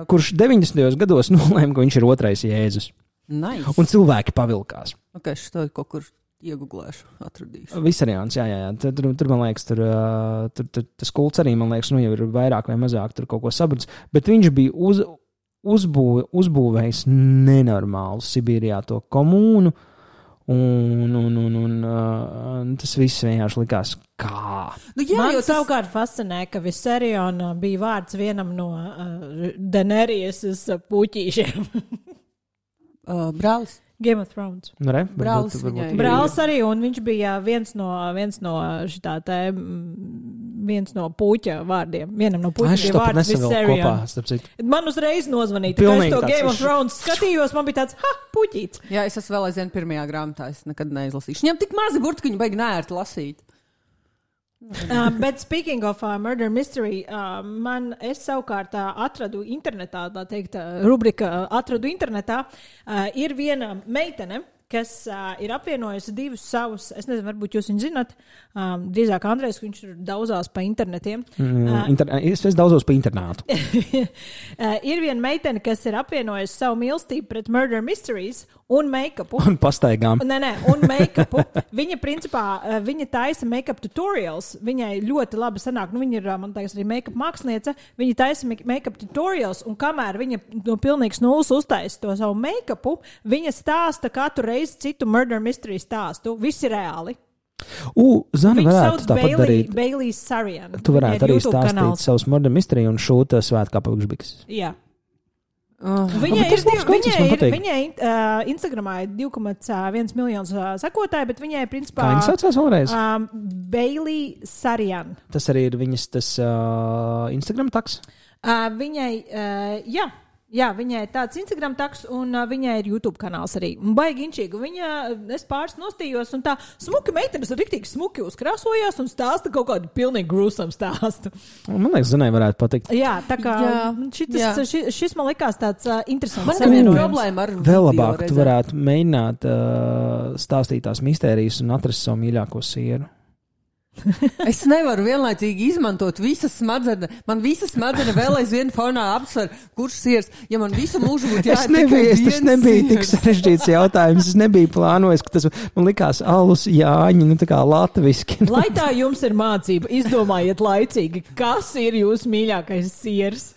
kurš 90. gados nolēma, ka viņš ir otrais Jēzus. Nice. Un cilvēki pavilkās. Es to kaut kur ieguglēšu, atradīšu. Visarions, jā. Tur man liekas, tur tas kults arī, man liekas, jau ir vairāk vai mazāk tur kaut ko sabrudis, bet viņš bija uzbūvējis nenormālu Sibīrijā to komūnu, un tas viss vienkārši likās kā. Man savukārt fascinē, ka Visariona bija vārds vienam no Daenerys puķīšiem. Brālis. Game of Thrones. Brālis arī, un viņš bija viens no puķa vārdiem. Vienam no puķa bija vārds Visarion. Man uzreiz nozvanīja, ka es to Game of Thrones skatījos, man bija tāds, puķīts. Jā, es esmu vēl aizvien pirmajā grāmatā, es nekad neizlasīšu. Viņam tik mazi burti, ka viņi baigi neērti lasīt. Bet speaking of Murder Mystery, es savukārt atradu internetā, tā teikt, rubrika atradu internetā, ir viena meitene, kas ir apvienojusi divus savus, es nezinu, varbūt jūs viņu zināt, drīzāk Andrejs, viņš daudzās pa internetiem. Es daudzos pa internātu. Ir viena meitene, kas ir apvienojusi savu mīlestību pret Murder Mysteries un make-upu. Un pastaigām. Un make-upu. Viņa principā, viņa taisa make-up tutorials, viņai ļoti labi sanāk, viņa ir, man liekas, arī make-up māksliniece, viņa taisa make-up tutorials, un kamēr viņa no pilnīgs nulles uztaisa to savu make-upu, viņa stāsta katru reizi citu Murder Mystery stāstu. Viss ir reāli. Zani varētu tāpat darīt. Bailey Sarian. Tu varētu arī stāstīt savus Murder Mystery un šūta svētkā pavikšbiks. Jā. Viņai Instagramā ir 2,1 miljonus sekotāji, bet viņai principā... Kā viņa saucās vēlreiz? Bailey Sarian. Tas arī ir viņas tas Instagram taks? Viņai, jā. Jā, viņai ir tāds Instagram taks, un viņai ir YouTube kanāls arī. Un baigi inčīgi. Viņa, es pāris nostījos, un tā smuki meitenes riktīgi smuki uzkrāsojās un stāsta kaut kādu pilnīgi grūsam stāstu. Man liekas, Zanai varētu patikt. Jā, tā kā šis man likās tāds interesants. Man ir problēma ar vēl labāk tu varētu mēģināt stāstīt tās mistērijas un atrast savu mīļāko sieru. Es nevaru vienlaicīgi izmantot visas smadzenes. Man visas smadzenes vēl aizvien fonā apsver, kurš siers. Ja man visu mūžu būtu tas nebija tik sarežģīts jautājums. Es nebiju plānojis, ka tas man likās alus Jāņi, tā kā latviski. Lai tā jums ir mācība, izdomājiet laicīgi, kas ir jūsu mīļākais siers.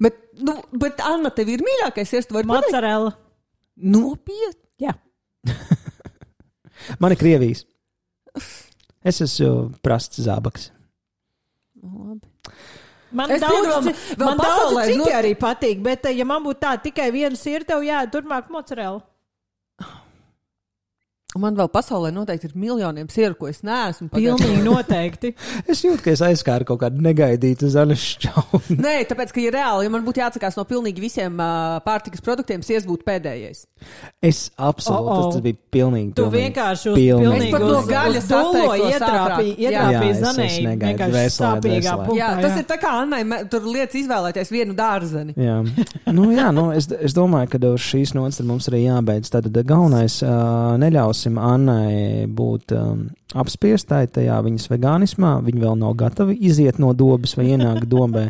Bet Anna, tev ir mīļākais siers? Mozzarella. Nopietni? Jā. Man ir Krievijas. Es esmu prasts zābaks. Labi. Man daudz citi arī patīk, bet ja man būtu tā tikai viena sirta, tev jāiet turpmāk mozzarella. Un man vēl pasaulē noteikti ir miljoniem sieru, ko es neesmu. Pilnīgi noteikti. Es jūtu, ka es aizskāru kaut kādu negaidītu zaļu šķaunu. Nē, tāpēc, ka ir reāli, ja man būtu jāatsakās no pilnīgi visiem pārtikas produktiem, siers būtu pēdējais. Es absolūti, tas bija pilnīgi. Tu vienkārši uz gaļas dolo ietrāpīji Zanei. Vienkārši sāpīgā punktā. Jā, tas ir tā kā Annai, tur lietas izvēlēties vienu dārzeni. Jā, es domāju, ka uz šīs nots mums arī jābeidz. Tātad galvenais neļaus Annai būt apspiestai tajā viņas vegānismā. Viņa vēl nav gatava iziet no dobas vai ienākt dobē.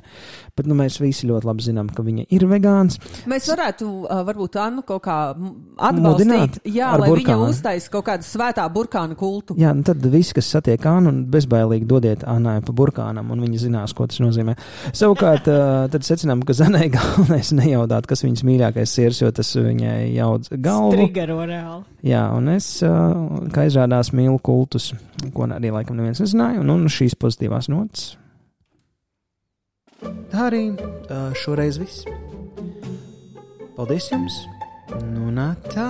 Bet mēs visi ļoti labi zinām, ka viņa ir vegāns. Mēs varētu varbūt Annu kaut kā atbalstīt. Jā, lai burkānu. Viņa uztais kaut kādu svētā burkāna kultu. Jā, tad visi, kas satiek Annu, un bezbailīgi dodiet Annai pa burkānam, un viņa zinās, ko tas nozīmē. Savukārt, tad secinām, ka Zanai galvenais nejaudāt, kas viņas mīļākais siers, jo tas viņai jaudz galvu. Strigero reāli. Jā, un es, kā izrādās, mīlu kultus, ko arī laikam neviens nezināja, un šīs pozitīvās notas. Tā arī šoreiz viss. Paldies jums! Nu, tā!